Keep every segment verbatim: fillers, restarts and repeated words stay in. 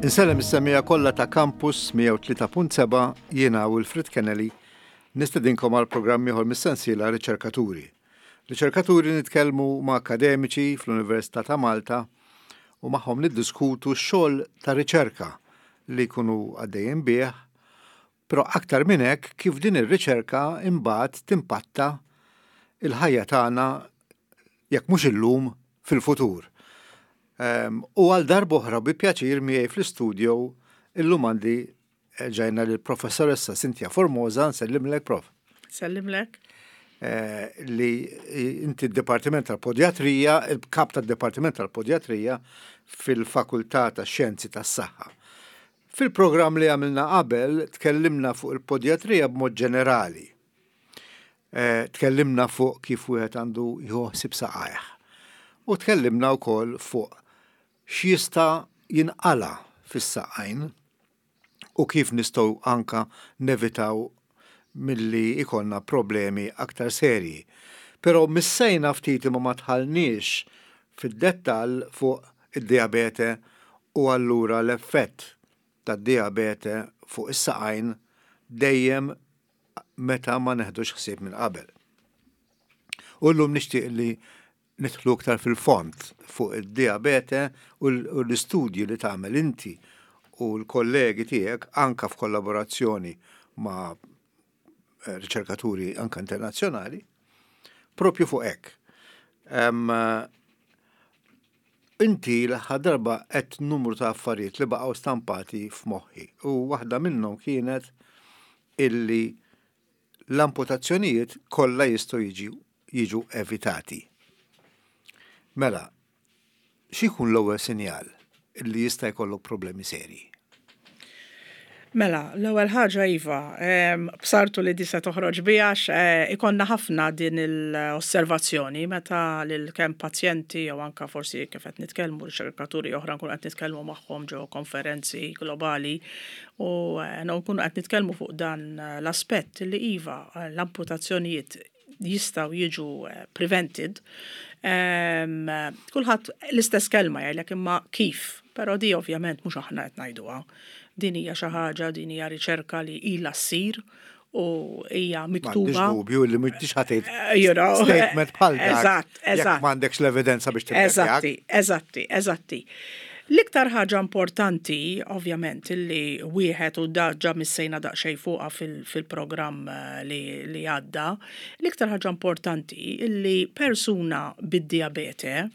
Insellem is-semmiegħa kollha ta' Campus mija u tlieta punt sebgħa. Jiena Wilfred Kennelly nistedinkom għal programm ieħor mis-sensiela Riċerkaturi. Riċerkaturi, nitkellmu ma' akademiċi fl-Università ta' Malta u magħhom niddiskutu x-xogħol ta' riċerka li jkunu għaddejjin bih, però aktar minn hekk kif din ir-riċerka imbagħad timpatta il-ħajja tagħna, jekk mhux illum, fil-futur. Um, u għal darb'oħra bi pjaċir miegħi fl-istudio illum għandi eh, ġajna l-professoressa Cynthia Formosa. Nsellimlek, Prof. Sellimlek. Eh, li inti d-Dipartiment tal-Podjatrija, il-kap tad-Dipartiment tal-Podjatrija fil-Fakultà ta' Xjenzi tas-Saħħa. Fil-programm li għamilna qabel tkellimna fuq il-podjatrija b'mod ġenerali. Eh, tkellimna fuq kif wieħed għandu jieħu ħsieb saqajh. U tkellimna wkoll fuq x'jista' jinqala fis-saqajn u kif nistgħu anka nevitaw milli ikollna problemi aktar serji. Però missejna ftit imma ma dħalniex fid-dettall fuq id-diabete u allura l-effett tad-diabete fuq is-saqajn dejjem meta ma neħdux ħsieb minn qabel. U llum nixtieq li nidħlu aktar fil-fond fuq id-diabete u l-istudji li tagħmel inti u l-kollegi tiegħek anka f'kollaborazzjoni ma' eh, riċerkaturi anka internazzjonali propju fuq hekk. Inti l-aħħar darba għedt numru ta' affarijiet li baqgħu stampati f'moħħi u waħda minnhom kienet illi l-amputazzjonijiet kollha jistgħu jiġu jiġu evitati. Mela, x'ikun l-ewwel sinjal illi jista' jkollok problemi serji? Mela, l-ewwel ħaġa iva, bsartu li di se toħroġ biha, eh, ikollna ħafna din l-osservazzjoni meta lil kemm pazjenti jew anka forsi kif qed nitkellmu riċerkaturi oħra nkunu qed nitkellmu magħhom ġo konferenzi globali u eh, nkunu qed nitkellmu fuq dan l-aspett li iva, l-amputazzjonijiet jistgħu jiġu eh, prevented. Kulħadd l-istess kelma jgħidlek, imma kif? Però di ovvjament mhux aħna qed ngħiduha. Din hija xi ħaġa, din hija riċerka li ilha ssir u hija miktuba. M'għandix dubju li m'intix ħa tgħid eh, you know, statement bħal dak. Eżatt, eżatt. M'għandekx l-evidenza biex. Eżatti, eżatti, eżatti. L-iktar ħaġa importanti, ovvjament, li wieħed u diġà missejna daqsxejn fuqha fil-programm eh, li, li għadda, l-iktar ħaġa importanti illi persuna bid-diabete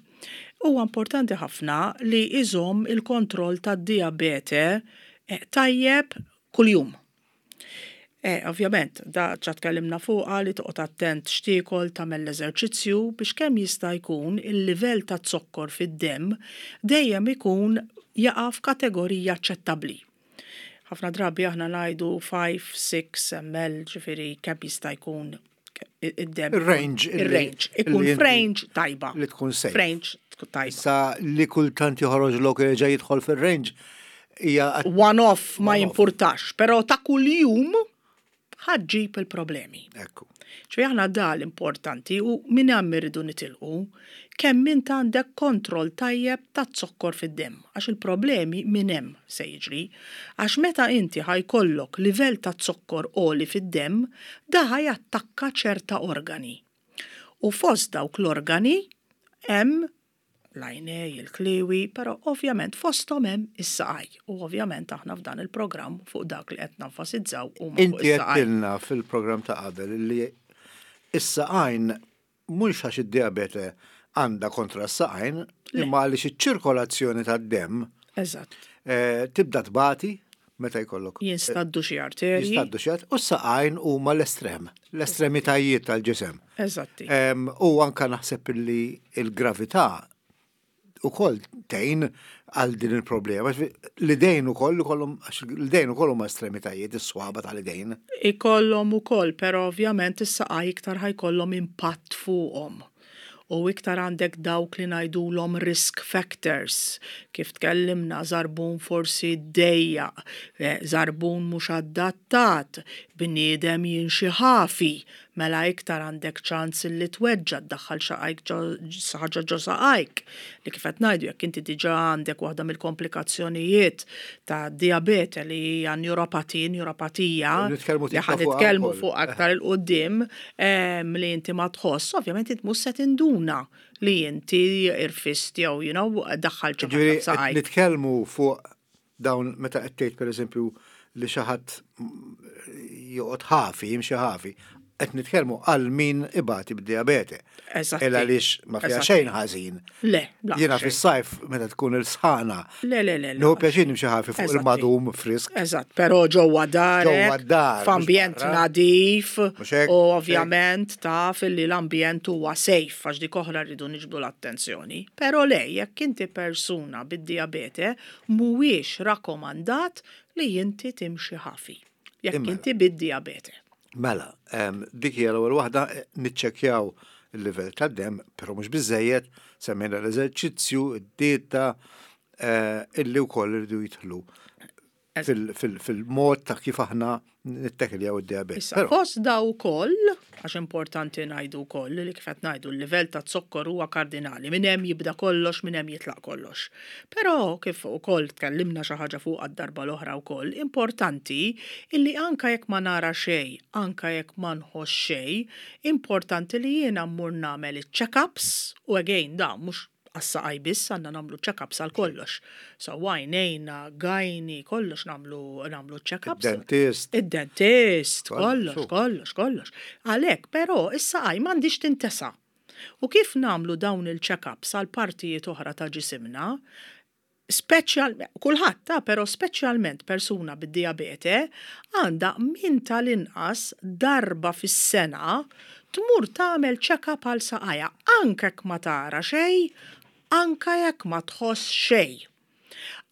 huwa importanti ħafna li iżomm il-kontroll tad-diabete eh, tajjeb kuljum. E, ovvjament, da ġa tkellimna fuqha li toqgħod attent x'tiekol, tagħmel l-eżerċizzju biex kemm jista' jkun il-livell ta' zokkor fid-demm dejjem ikun jaqa' f'kategorija aċċettabbli. Ħafna drabi aħna ngħidu ħamsa, sitta millilitri, ġifieri kemm jista' jkun id-demm. Il-range. Il-range. Ikun f'range tajba. Li tkun safe. F'range tajba. Sa li kultant joħroġ lok jerġa' jidħol fil-range hija One off ma jimpurtax, però ta' kuljum ħa ġġib il-problemi. Ekku. ċe aħna da l-importanti u minn hemm irridu nitilqu kemm int għandek kontroll tajjeb ta' zokkor fid-demm, għax il-problemi minn hemm se jiġri. Għax meta inti ħa jkollok livell ta' zokkor għoli fid-demm, da ħa jattakka ċerta organi. U fost dawk l-organi hemm l-għajnej, il-kliwi, però ovvjament fosthom hemm is-saqaj. U ovvjament aħna f'dan il-programm fuq dak li qed nenfasizzaw huma fuq Inti is-saqaj. Għedtilna fil-programm ta' qabel li is-saqajn mhux għax id-diabete għandha kontra s-saqajn, imma għaliex iċ-ċirkolazzjoni tad-demm Eżatt. eh, tibda tbati meta jkollok Jinstaddu xi arterji. Jistaddu xi u s-saqajn huma l-estrem, l-estremitajiet tal-ġisem. Eżatti. Em, U anka naħseb li il-gravità ukoll tgħin għal din il-problema. L-idejn ukoll ikollhom, għax l-idejn ukoll huma estremitajiet, is-swaba tal-idejn. Ikollhom ukoll, però ovvjament is-saqaj iktar ħa jkollhom impatt fuqhom. U iktar għandek dawk li ngħidulhom risk factors, kif tkellimna, żarbun forsi dejjaq, eh, żarbun mhux adattat, bniedem jimxi ħafi, mela iktar għandek ċans li tweġġa', ddaħħal xaqajk ħaġa ġo saqajk. Li kif qed ngħidu, jekk inti diġà għandek waħda mill-komplikazzjonijiet ta' diabete li hija neuropati, neuropatija, li ħa nitkellmu fuq aktar 'il quddiem, li inti ma tħoss, ovvjament int mhux se tinduna li inti irfist jew you know, daħħal xi ħaġa saqajk. Nitkellmu fuq dawn meta qed tgħid, pereżempju, li xi ħadd joqgħod ħafi, jimxi ħafi, qed nitkellmu għal min ibati bid-diabete. Eżatt. Għaliex ma fiha xejn ħażin. Le, Jiena fis-sajf meta tkun il-sħana. Le, le, le. Nieħu pjaċir nimxi ħafi fuq il-madum frisk. Eżatt, però ġewwa dar. Ġewwa dar. F'ambjent nadif. U ovvjament taf li l-ambjent huwa safe, għax dik oħra rridu niġbdu l-attenzjoni. Però le, jekk inti persuna bid-diabete, mhuwiex rakkomandat li inti timxi ħafi. Jekk inti bid-diabete. Mela, dik hija l-ewwel waħda, niċċekkjaw il-livell tad-dem, però mhux biżejjed, semmejna l-eżerċizzju, id-dieta, eh, illi wkoll irridu jidħlu fil-mod ta' kif aħna nittekiljaw id-diabete. Issa, fost daw ukoll, għax importanti ngħidu wkoll li kif qed ngħidu, l-livell ta' zokkor huwa kardinali, minn hemm jibda kollox, minn hemm jitlaq kollox. Però kif ukoll tkellimna xi ħaġa fuq għad-darba l-oħra wkoll, importanti illi anka jekk ma nara xejn, anka jekk ma nħoss xejn, importanti li jiena mmur nagħmel iċ-check-ups u again da mhux għas-saqaj biss, għandna nagħmlu check-ups għal kollox. So għajnejna, gynae, kollox nagħmlu nagħmlu check-ups. Id-dentist. Id-dentist, kollox, kollox, kollox. Għalhekk, però is-saqaj m'għandix tintesa. U kif nagħmlu dawn il-check-ups għal partijiet oħra ta' ġisimna, speċjal, kulħadd ta' però speċjalment persuna bid-diabete għandha minn tal-inqas darba fis-sena tmur tagħmel check-up għal saqajha, anke jekk ma tara xejn, anke jekk ma tħoss xejn.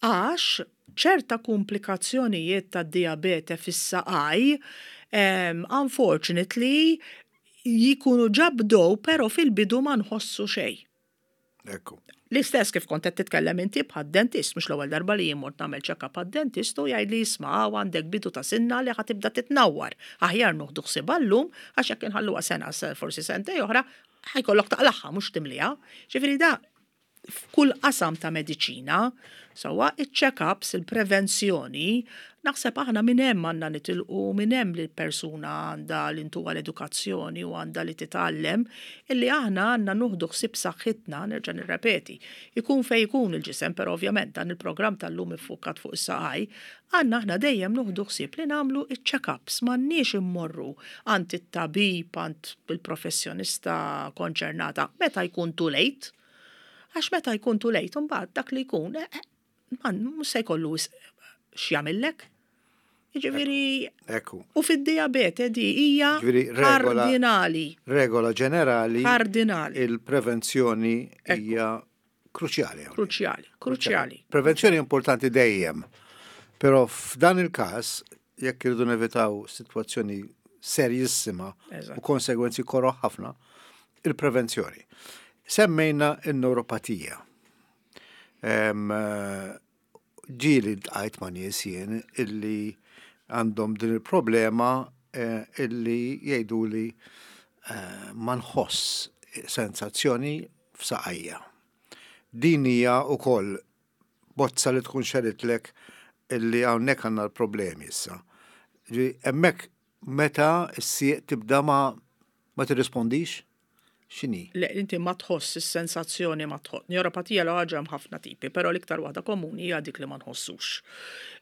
Għax ċerta komplikazzjonijiet ta' diabete fis-saqaj, um, unfortunately, jikunu ġa bdew, pero fil-bidu ma nħossu xejn. Ekku. L-istess kif kont qed titkellem inti bħad-dentist, mhux l-ewwel darba li jien mort nagħmel check-up għad-dentist u jgħid li, "Isma', għandek bidu ta' sinna li ħa tibda titnawwar. Aħjar nieħdu ħsiebha llum, għax jekk inħalluha sena, forsi sentejn oħra, ħa jkollok taqlagħha mhux timliha." Ġifieri da f'kull qasam ta' mediċina, sewwa, il-check-ups, il-prevenzjoni, naħseb aħna minn hemm għandna nitilqu, minn hemm li l-persuna għandha li ntuha l-edukazzjoni u għandha li titgħallem illi aħna għandna nieħdu ħsieb saħħitna, nerġa' nirrepeti. Ikun fej ikun il-ġisem, però ovvjament dan il-programm tal-lum iffukat fuq is-saqaj, għandna aħna dejjem nieħdu ħsieb li nagħmlu il-check-ups, m'għandniex immorru għand it-tabib, għand il-professjonista konċernata meta jkun too late. Għax meta jkun too late, mbagħad dak li jkun, eh, eh, man, mhux se jkollu x'jagħmillek. Jiġifieri Ekku. U fid-diabete di hija Ġifieri regola- kardinali. Regola ġenerali, Kardinali. il-prevenzjoni hija kruċjali hawnhekk. Kruċjali, kruċjali. Prevenzjoni importanti dejjem. Però f'dan il-każ, jekk irridu nevitaw sitwazzjoni serjissima Eżatt. u konsegwenzi koroh ħafna, il-prevenzjoni. Semmejna il-neuropatija. Em, eh, Ġieli ltqajt ma' nies jien illi għandhom din il-problema eh, illi jgħidu li eh, ma nħoss sensazzjoni f'saqajja. Din hija wkoll bozza li tkun xeritlek illi hawnhekk għandna l-problemi issa. Ġi, hemmhekk meta s-sieq tibda ma ma tirrispondix? X'inhi? Le, inti ma tħoss is-sensazzjoni, ma tħoss. Neuropatija l ħaġa hemm ħafna tipi, però l-iktar waħda komuni hija dik li ma nħossux.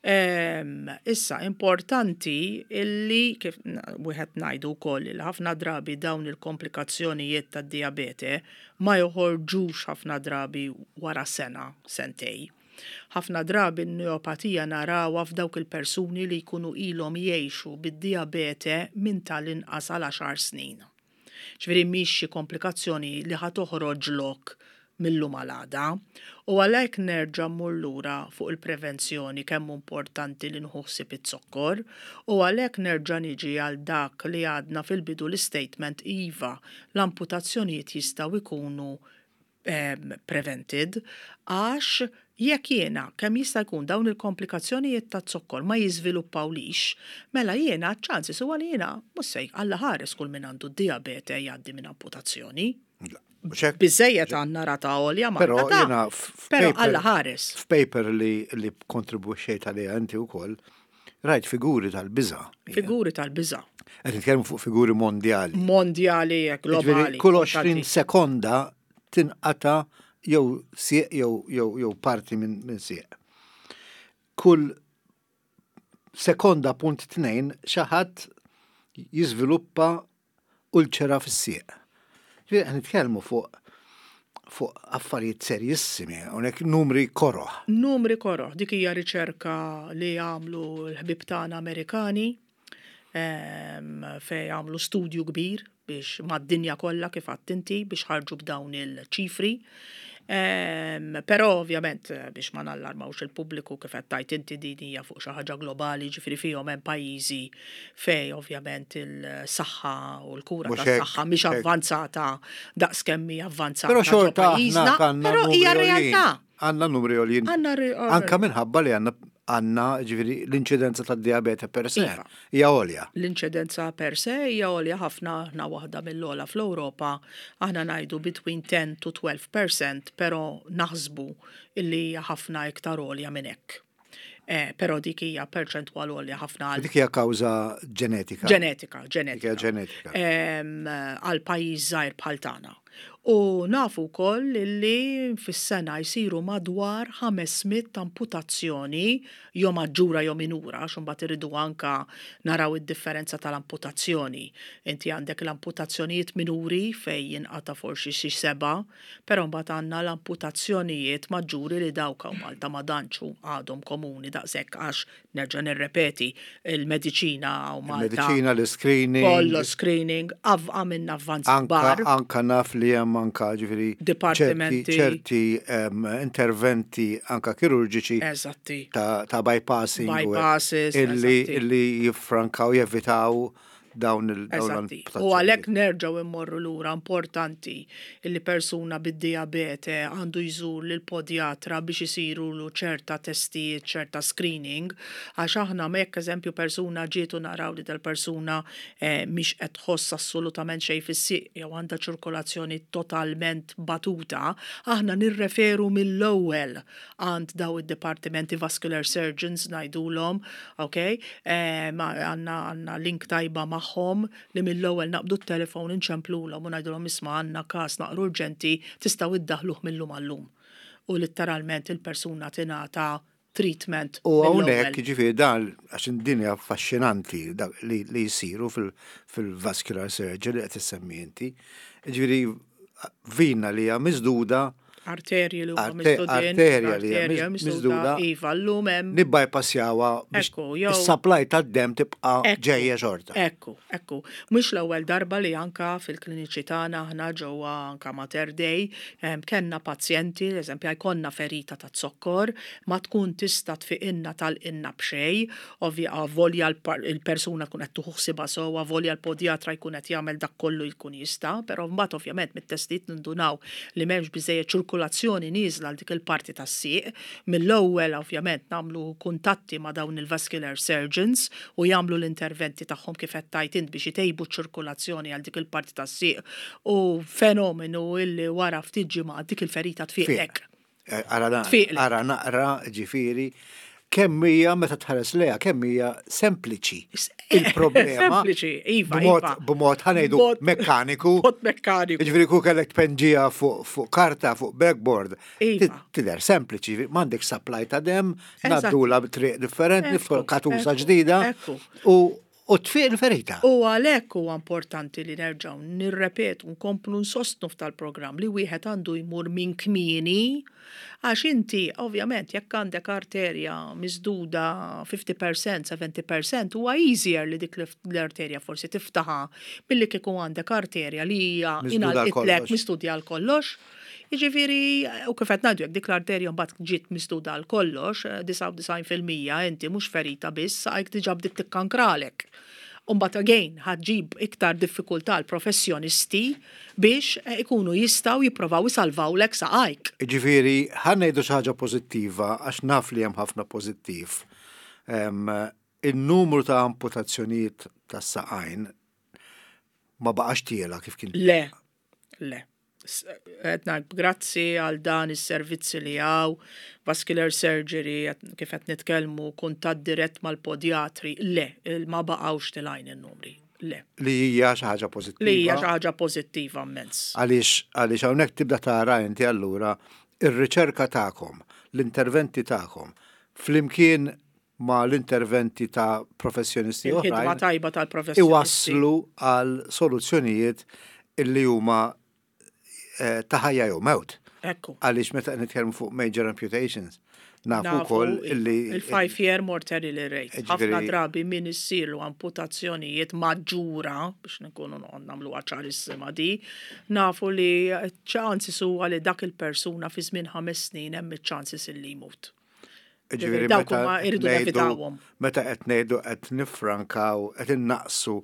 Ehm, issa, importanti illi kif wieħed ngħidu wkoll li ħafna drabi dawn il-komplikazzjonijiet tad-diabete ma joħorġux ħafna drabi wara sena, sentej. Ħafna drabi n-neuropatija narawha f'dawk il-persuni li jkunu ilhom jgħixu bid-diabete minn tal-inqas għal għaxar snin. Ġifieri mhix xi komplikazzjoni li ħa toħroġlok Mil-lum għal għada. U għalhekk nerġa' mmur lura fuq il-prevenzjoni, kemm importanti li nieħu ħsieb iz-zokkor, u għalhekk nerġa' niġi għal dak li għadna fil-bidu, l-statement, iva, l-amputazzjonijiet jistgħu jkunu um, prevented, għax jekk jiena kemm jista' jkun dawn il-komplikazzjonijiet ta' zokkor ma jiżviluppawlix, mela jiena ċ-chances huwa li jiena mhux se, Alla ħares kull min għandu diabete, jgħaddi minn amputazzjoni. Biżejjed għandna rata għolja ma. Però jiena Però Alla ħares. F'paper li li kontribwixxejt għaliha inti wkoll, rajt figuri tal-biża. Figuri tal-biża. Qed nitkellmu fuq figuri mondjali. Mondjali, globali. Kull għoxrin sekonda tinqata jew sieq jew jew jew parti minn min sieq. Kull sekonda punt tnejn xi ħadd jiżviluppa ulċera fis-sieq. Ġifieri qed nitkellmu fuq fuq affarijiet serjissimi, hawnhekk numri koroħ. Numri koroħ, dik hija riċerka li għamlu l-ħbib tagħna Amerikani, fej għamlu studju kbir biex mad-dinja kollha, kif inti, biex ħarġu b'dawn il-ċifri. Però ovvjament biex ma nallarmawx il-pubbliku, kif qed tgħid inti, din hija fuq xi ħaġa globali, ġifieri fihom hemm pajjiżi fej ovvjament il-saħħa u l-kura tas-saħħa mhix avvanzata daqs kemm hija avvanzata. Però xorta Però hija realtà. Għandna numri għoljin. Anka minħabba li għandna għandna ġifieri l-inċidenza tad-diabete per se iva. hija għolja. L-inċidenza per se hija għolja ħafna, aħna waħda mill-ogħla fl-Ewropa, aħna ngħidu between ten to twelve percent, però naħsbu illi hija ħafna iktar għolja minn hekk. Eh, però dik hija perċentwal għolja ħafna. Dik hija kawża ġenetika. Ġenetika, ġenetika. Ġenetika. Għal pajjiż żgħir bħal tagħna. U nafu wkoll li fis-sena jsiru madwar ħames mitt amputazzjoni, jew maġġura jew minura, għax imbagħad iridu anka naraw id-differenza tal-amputazzjoni. Inti għandek l-amputazzjonijiet minuri fej jinqata forsi xi seba, però mbagħad għandna l-amputazzjonijiet maġġuri li dawk hawn Malta ma tantx għadhom komuni daqshekk, għax nerġa' nirrepeti, il-mediċina u Malta. Il-mediċina, l-screening. Kollu screening, għamilna avvanz kbar. Anka naf li hemm anka ġifieri dipartimenti. Ċerti interventi anka kirurġiċi Eżatti. ta', ta bypassing Bypasses. illi, illi jiffrankaw, jevitaw dawn il Eżatti. U għalhekk nerġgħu immorru lura, importanti illi persuna bid-diabete għandu jżur lil podjatra biex isiru lu ċerta testijiet, ċerta screening, għax aħna jekk eżempju persuna ġietu naraw li dal-persuna eh, mhix qed tħoss assolutament xejn fis-sieq jew għandha ċirkolazzjoni totalment batuta, aħna nirreferu mill-ewwel għand daw id-dipartimenti, vascular surgeons ngħidulhom, ok? Eh, għandna għandna link tajba magħhom li mill-ewwel naqbdu t-telefon, inċemplulhom u ngħidulhom, "Isma', għandna każ naqra urġenti, tistgħu iddaħluh mil-lum għallum." U letteralment il-persuna tingħata treatment. U hawnhekk ġifieri dan, għax din hija affaxxinanti li, li jsiru fil-vascular surgery li qed issemmi inti. Ġifieri vina li hija miżduda Arterji li huma miżdudin. Arterja li hija miżduda. Iva, llum hemm. Nibbypassjawha biex is-supply tad-dem tibqa' ġejja xorta. Ekku, ekku. Mhux l-ewwel darba li anka fil-kliniċi tagħna aħna ġewwa anka Mater Dei kellna pazjenti, eżempju, jkollna ferita ta' zokkor, ma tkun tista' tfiqinna tal-inna b'xejn, ovvja volja il-persuna tkun qed tieħu ħsiebha sewwa, volja l-podjatra jkun qed jagħmel dak kollu jkun jista', però mbagħad ovvjament mit-testijiet nindunaw li m'hemmx biżejjed ċirkulazzjoni nieżla għal dik il-parti tas-sieq. Mill-ewwel ovvjament nagħmlu kuntatti ma' dawn il-vascular surgeons u jagħmlu l-interventi tagħhom, kif qed tgħid int, biex itejbu ċ-ċirkulazzjoni għal dik il-parti tas-sieq, u fenomenu illi wara ftit ġimgħat dik il-ferita tfiqlek. Eh, ara naqra ġifieri kemm hija, meta tħares lejha, kemm hija sempliċi il-problema. Sempliċi, iva, iva. B'mod, ħa ngħidu, mekkaniku. B'mod mekkaniku. Ġifieri ku kellek tpenġija fuq karta, fuq blackboard. Iva. Tidher sempliċi, m'għandek supply ta' dem, ngħaddula b'triq differenti, katusa ġdida. U u tfiq il-ferita. U għalhekk huwa importanti li nerġgħu nirrepetu, nkomplu nsostnu f'tal-programm li wieħed għandu jmur minn kmieni, għax inti ovvjament jekk għandek arterja miżduda fifty percent, seventy percent, huwa easier li dik l-arterja forsi tiftaħa milli kieku għandek arterja li hija Miżduda għal ingħalqitlek kollox. miżduda għal kollox. Jiġifieri, u kif qed ngħidu, jekk dik l-arterja mbagħad ġiet misduda għal kollox, disgħa u disgħin fil-mija inti mhux ferita biss, saqajk diġà bdiet tikkankralek. Umbat again, ħa ġġib iktar diffikultà l-professjonisti biex eh, ikunu jistgħu jipprovaw isalvawlek saqajk. Ġifieri, ħa ngħidu xi ħaġa pożittiva, għax naf li hemm ħafna pożittiv. Em, Il-numru ta' amputazzjonijiet ta' saqajn ma baqax tiela' kif kien. Le, le. S- Qed ngħid grazzi għal dan is-servizzi li hawn, vascular surgery, qed- kif qed nitkellmu, kuntatt dirett mal-podjatri, le, il- ma baqgħux telgħin in-numri. Le. Li hija xi ħaġa pożittiva. Li hija xi ħaġa pożittiva immens. Għaliex għaliex hawnhekk tibda tara inti allura ir-riċerka tagħkom, l-interventi tagħkom, flimkien ma l-interventi ta' professjonisti Il-ħidma oħrajn tajba tal-professjonisti. iwasslu għal soluzzjonijiet illi huma eh, ta' ħajja jew mewt. Ekku. Għaliex meta nitkellmu fuq major amputations, nafu wkoll illi il-five year mortality rate. Ġifieri- Ħafna drabi min issiru amputazzjonijiet maġġura, biex nkunu nagħmlu ċarissima di, nafu li chances huwa li dak il-persuna fi żmien ħames snin hemm iċ-chances illi jmut. Ġifieri Dawk meta huma irridu ngħidu- nevitawhom. Meta qed ngħidu qed nifrankaw, qed innaqsu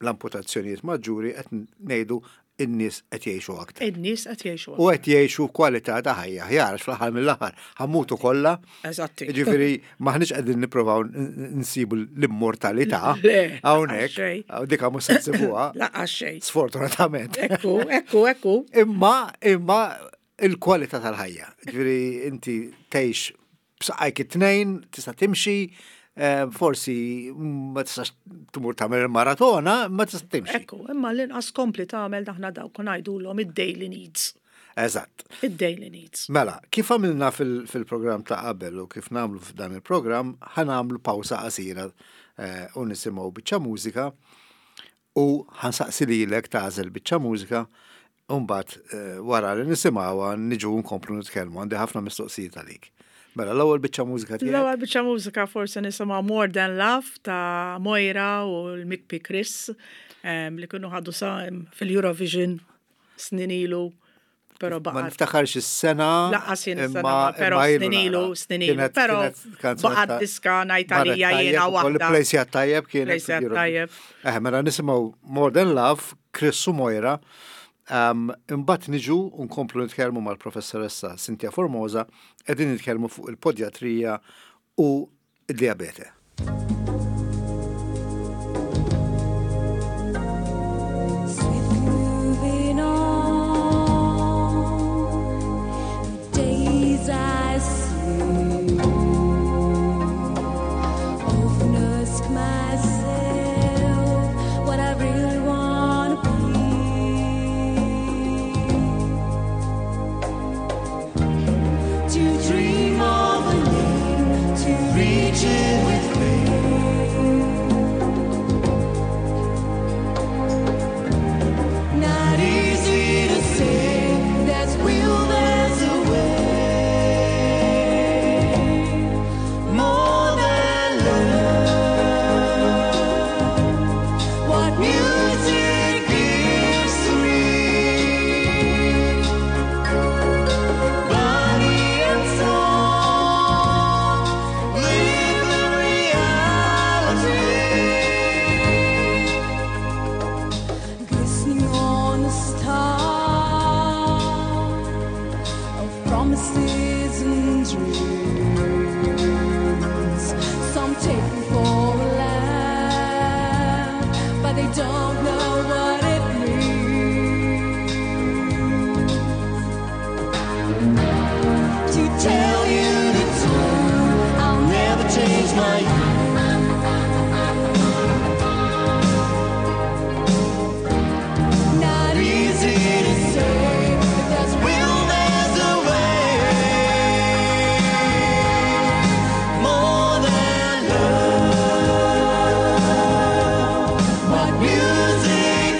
l-amputazzjonijiet maġġuri, qed ngħidu in-nies qed jgħixu aktar. In-nies qed jgħixu. U qed jgħixu kwalità ta' ħajja aħjar, għax fl-aħħar mill-aħħar ħa mmutu kollha. Eżatti. Ġifieri maħniex qegħdin nippruvaw n- nsibu l-immortalità Le, hawnhekk, xejn. dika mhux se nsibuha, Lanqas xejn. sfortunatament. Ekku, ekku, ekku. Imma imma il-kwalità tal-ħajja. Ġifieri inti tgħix b'saqajk it-tnejn, tista' timxi, eh, forsi ma tistax tmur tagħmel il-maratona, ma tista' timxi. Ekku, imma l-inqas kompli tagħmel daħna dawk ngħidulhom id-daily needs. Eżatt. Id-daily needs. Mela, kif għamilna fil- fil-programm ta' qabel u kif nagħmlu f'dan il-programm, ħa nagħmlu pawsa qasira eh, u nisimgħu biċċa mużika u ħa nsaqsi lilek tagħżel biċċa mużika u mbagħad eh, wara li nisimgħuha niġu nkomplu nitkellmu, għandi ħafna mistoqsijiet għalik. Mela, l-ewwel biċċa mużika tiegħek. L-ewwel biċċa mużika forsi nisimgħu More Than Love ta' Moira u l-Mikpi Chris em, li kienu ħadu sa fil-Eurovision snin ilu, però Ma baqgħet. niftakarx is-sena. Lanqas jien imma- is-sena, però imma ilu snin ilu, nara. snin ilu, Kienet- però kienet kanzunetta baqgħet diska ngħid marret għalija tajjeb jiena ukoll waħda. Plejsjat tajjeb kienet. Plejsjat fil-Eurovision. tajjeb. Eh, mela nisimgħu More Than Love, Chris u Moira. Um, Imbagħad niġu u nkomplu nitkellmu mal-professoressa Cynthia Formosa, qegħdin nitkellmu fuq il-podjatrija u id-diabete. Swiftly moving on, the days I see. Often ask myself what I really wanna be. To dream of a name, to reach it with faith. Not easy to say, there's will, there's a way. More than love, what music gives to me, body and soul, live the reality. Glistening on a star of promises and dreams. Some take me for a laugh, but they don't know what it means to tell you the truth. I'll never change my Not easy to say. If there's will, there's a way. More than love, what music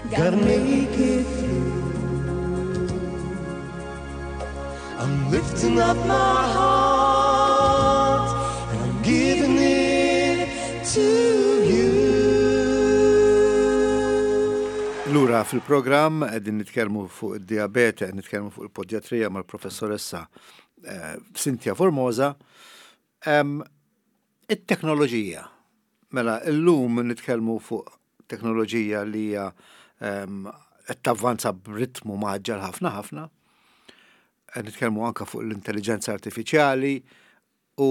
Gotta make it through. I'm lifting up my heart and I'm giving it to you. Lura fil-programm qegħdin nitkellmu fuq id-diabete, qed nitkellmu fuq il-podjatrija mal-professoressa eh, Cynthia Formosa. Em, It-teknoloġija. Mela, illum nitkellmu fuq teknoloġija li hija em, qed tavvanza b'ritmu mgħaġġel ħafna ħafna. Qed nitkellmu anka fuq l-intelligenza artifiċjali u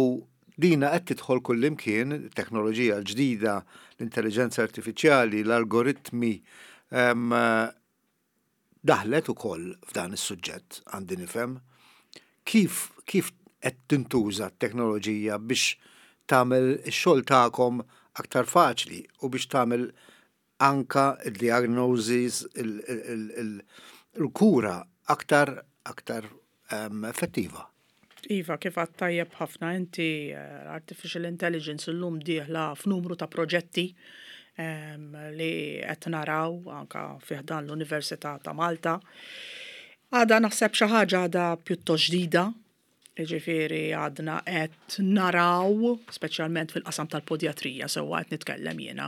dina qed tidħol kullimkien, teknoloġija l-ġdida, l-intelligenza artifiċjali, l-algoritmi, em, daħlet ukoll f'dan is-suġġett, għandi nifhem. Kif kif qed tintuża t-teknoloġija biex tagħmel ix-xogħol tagħkom aktar faċli u biex tagħmel anka il-diagnosis, il-kura aktar aktar em, effettiva? Iva, kif għedt tajjeb ħafna inti, eh, artificial intelligence illum dieħla f'numru ta' proġetti em, li qed naraw anka fi ħdan l-Università ta' Malta. Għada naħseb xi ħaġa għada pjuttost ġdida, ġifieri għadna qed naraw, speċjalment fil-qasam tal-podjatrija, sewwa qed nitkellem jiena.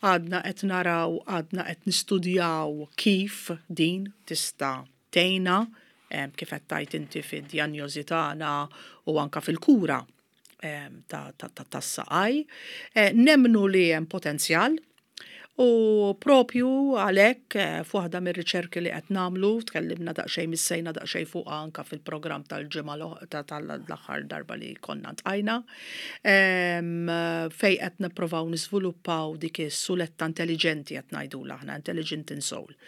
Għadna qed naraw, għadna qed nistudjaw kif din tista' tgħinna em, kif qed tgħid inti fid-dijanjosi tagħna u anka fil-kura em, ta' ta' ta' tas-saqaj. Eh, Nemmnu li hemm potenzjal u propju għalhekk eh, f'waħda mir-riċerki li qed nagħmlu, tkellimna daqsxejn, missejna daqsxejn fuqha anka fil-programm tal-ġimgħa l- ta' tal-aħħar darba li konna ltqajna, em, fej qed nippruvaw niżviluppaw dik is-suletta intelligenti qed ngħidulha aħna, intelligent insole.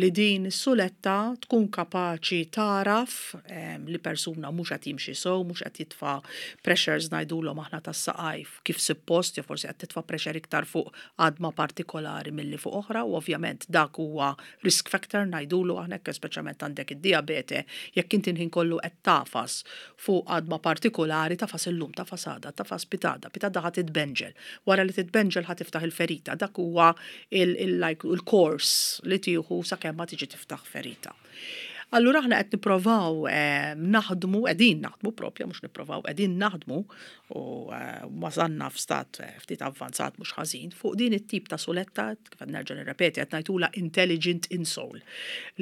Li din is-suletta tkun kapaċi taraf em, li persuna mhux qed jimxi sew, mhux qed jitfa' pressures, ngħidulhom aħna, tas-saqaj kif suppost, jew forsi qed titfa' pressure iktar fuq għadma partikolari milli fuq oħra, u ovvjament dak huwa risk factor, ngħidulu aħna hekk, speċjalment għandek id-diabete, jekk inti l-ħin kollu qed tagħfas fuq għadma partikolari, tagħfas illum, tagħfas għada, tagħfas pitgħada, pitgħada ħa titbenġel. Wara li titbenġel ħa tiftaħ il-ferita, dak huwa il- il-course li tieħu sakemm ma tiġi tiftaħ ferita. Allura aħna qed nipprovaw eh, naħdmu, qegħdin naħdmu propja, mhux nipprovaw, qegħdin naħdmu u eh, wasalna f'stat eh, ftit avvanzat mhux ħażin fuq din it-tip ta' suletta, kif qed nerġa' nirrepeti, qed ngħidulha intelligent insole,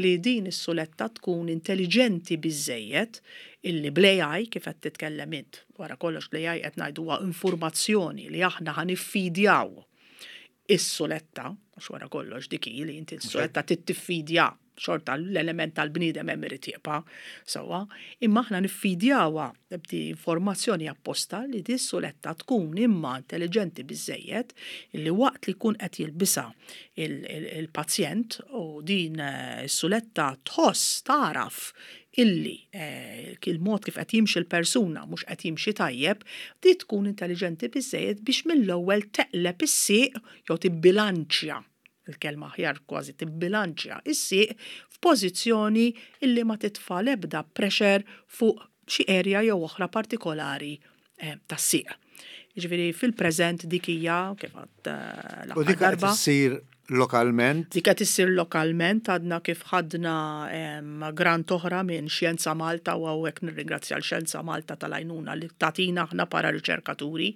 li din is-suletta tkun intelligenti biżejjed illi bl-A I, kif qed titkellem int, wara kollox l-A I qed ngħidu informazzjoni li aħna ħa niffidjaw is-suletta, għax wara kollox dik hi li inti s-suletta tittiffidja, xorta l-element tal-bniedem hemm irid jibqa' sewwa, imma aħna niffidjawha b'di informazzjoni apposta li di suletta tkun imma intelligenti biżejjed illi waqt li jkun qed jilbisha il-pazjent u din eh, is-suletta tħoss, taraf illi eh, il-mod kif qed jimxi l-persuna mhux qed jimxi tajjeb, di tkun intelligenti biżejjed biex mill-ewwel teqleb is-sieq jew tibbilanċja, il-kelma aħjar kważi, tibbilanċja is-sieq f'pożizzjoni illi ma titfa' l-ebda pressure fuq xi area jew oħra partikolari eh, tas-sieq. Jiġifieri fil-preżent dik hija kif għad eh, U l-aħħar dik qed darba. issir lokalment? Dik qed issir lokalment, għadna kif ħadna em, grant oħra minn Xjenza Malta u hawnhekk nirringrazzja l Xjenza Malta tal-għajnuna li tatina aħna para riċerkaturi,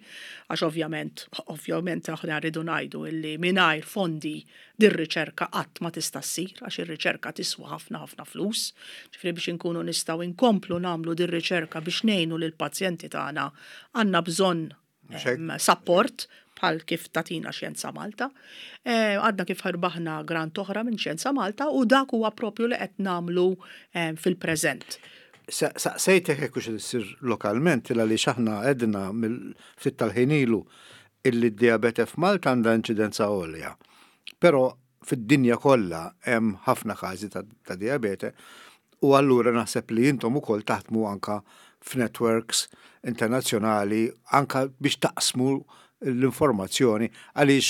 għax ovvjament ovvjament aħna rridu ngħidu illi mingħajr fondi dir-riċerka qatt ma tista' ssir, għax ir-riċerka tiswa ħafna ħafna flus. Ġifieri biex inkunu nistgħu inkomplu nagħmlu dir-riċerka biex ngħinu lill-pazjenti tagħna għandna bżonn Mhux hekk? em, support bħal kif tatina Xjenza Malta. Eh, Għadna kif rbaħna grant oħra minn Xjenza Malta u dak huwa propju li qed nagħmlu eh, fil-preżent. Saqsejtek hekk hux issir lokalment il għaliex aħna għedna mill-ftit tal-ħin ilu illi d-diabete f'Malta għandha inċidenza għolja. Però fid-dinja kollha hemm ħafna każi ta', ta diabete u allura naħseb li intom ukoll taħdmu anka f'networks internazzjonali anka biex taqsmu l-informazzjoni, għaliex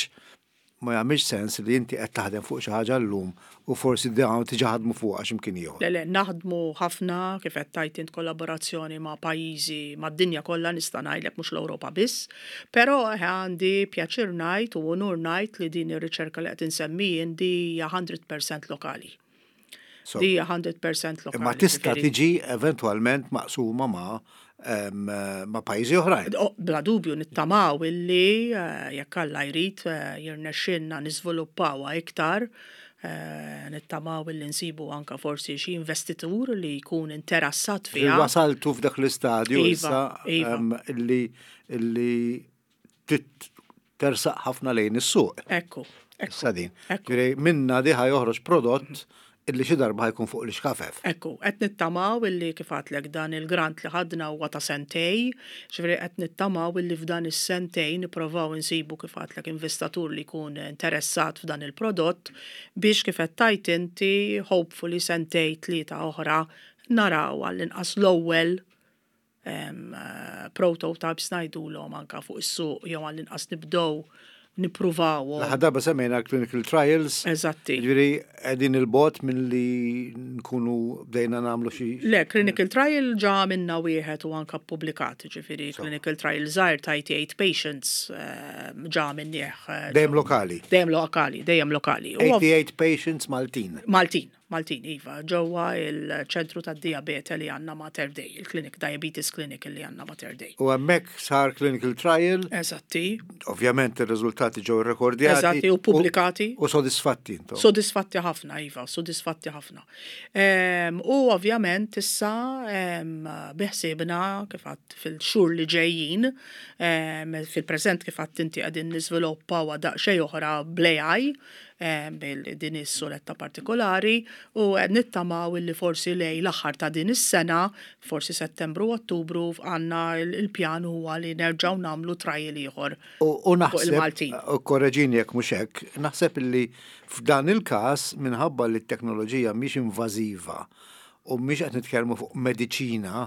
Ma jagħmilx sens li inti qed taħdem fuq xi ħaġa llum u forsi dawn diġà ħadmu fuqha x'imkien ieħor. Le, le, naħdmu ħafna, kif qed tgħid int, kollaborazzjoni ma' pajjiżi mad-dinja kollha, nista' ngħidlek, mhux l-Ewropa biss, però eh, għandi pjaċir ngħid u onur ngħid li din ir-riċerka li qed insemmi jien di hija mija fil-mija lokali. So, Di hija mija fil-mija lokali. Imma tista' ġifieri- tiġi eventwalment maqsuma ma' em, ma' pajjiżi oħrajn. Oh, bla dubju, nittamaw illi eh, jekk Alla jrid eh, jirnexxinna niżviluppawha iktar, eh, nittamaw illi nsibu anka forsi xi investitur li jkun interessat fiha. Wasaltu f'dak l-istadju Iva, issa iva. em, illi illi tit- tersaq ħafna lejn is-suq. Ekku, ekku. Issa din. Ekku. Ġifieri minna di ħa joħroġ prodott illi xi darba ħa jkun fuq l-ixkafef. Ekku, qed nittamaw illi, kif għedtlek, dan il-grant li ħadna huwa ta' sentejn, ġifieri qed nittamaw illi f'dan is-sentejn nipprovaw insibu, kif għedtlek, investitur li jkun interessat f'dan il-prodott biex, kif qed tgħid inti, hopefully sentejn tlieta oħra naraw għall-inqas l-ewwel em, eh, prototypes ngħidulhom anka fuq is-suq jew għall-inqas nibdew nippruvaw. L-aħħar darba semmejna clinical trials. Eżatti. Ġifieri qegħdin 'il bogħod minn li nkunu bdejna nagħmlu xi. Le, clinical trial ġa minna wieħed u anka publikat, ġifieri clinical trial żgħir ta' eighty-eight patients eh, ġa minnieh. eh, Dejjem lokali. Dejjem lokali, dejjem lokali. U ov- eighty-eight patients Maltin. Maltin, Maltin, iva, ġewwa il-ċentru tad-diabete li għandna Mater Dei, il-clinic, diabetes clinic li għandna Mater Dei. U hemmhekk sar clinical trial, Eżatti, ovvjament ir-riżultati ġew rekordjati. Eżatti, u pubblikati. U sodisfatti intom. Sodisfatti ħafna, iva, sodisfatti ħafna. Em, u ovvjament issa em, biħsibna, kif għedt, fil-xhur li ġejjin, em, fil-preżent, kif għedt inti, qegħdin niżviluppaw daqsxejn oħra bl-A I, em, bil din is-suletta partikolari, u nittamaw illi forsi lejn l-aħħar ta' din is-sena, forsi Settembru u Ottubru, għandna il-pjan huwa li nerġgħu nagħmlu trial ieħor U, u fuq naħseb, il-Maltin. U korreġini jekk mhux hekk, naħseb illi f'dan il-każ, minħabba li t-teknoloġija mhix invażiva u mhix qed nitkellmu fuq mediċina,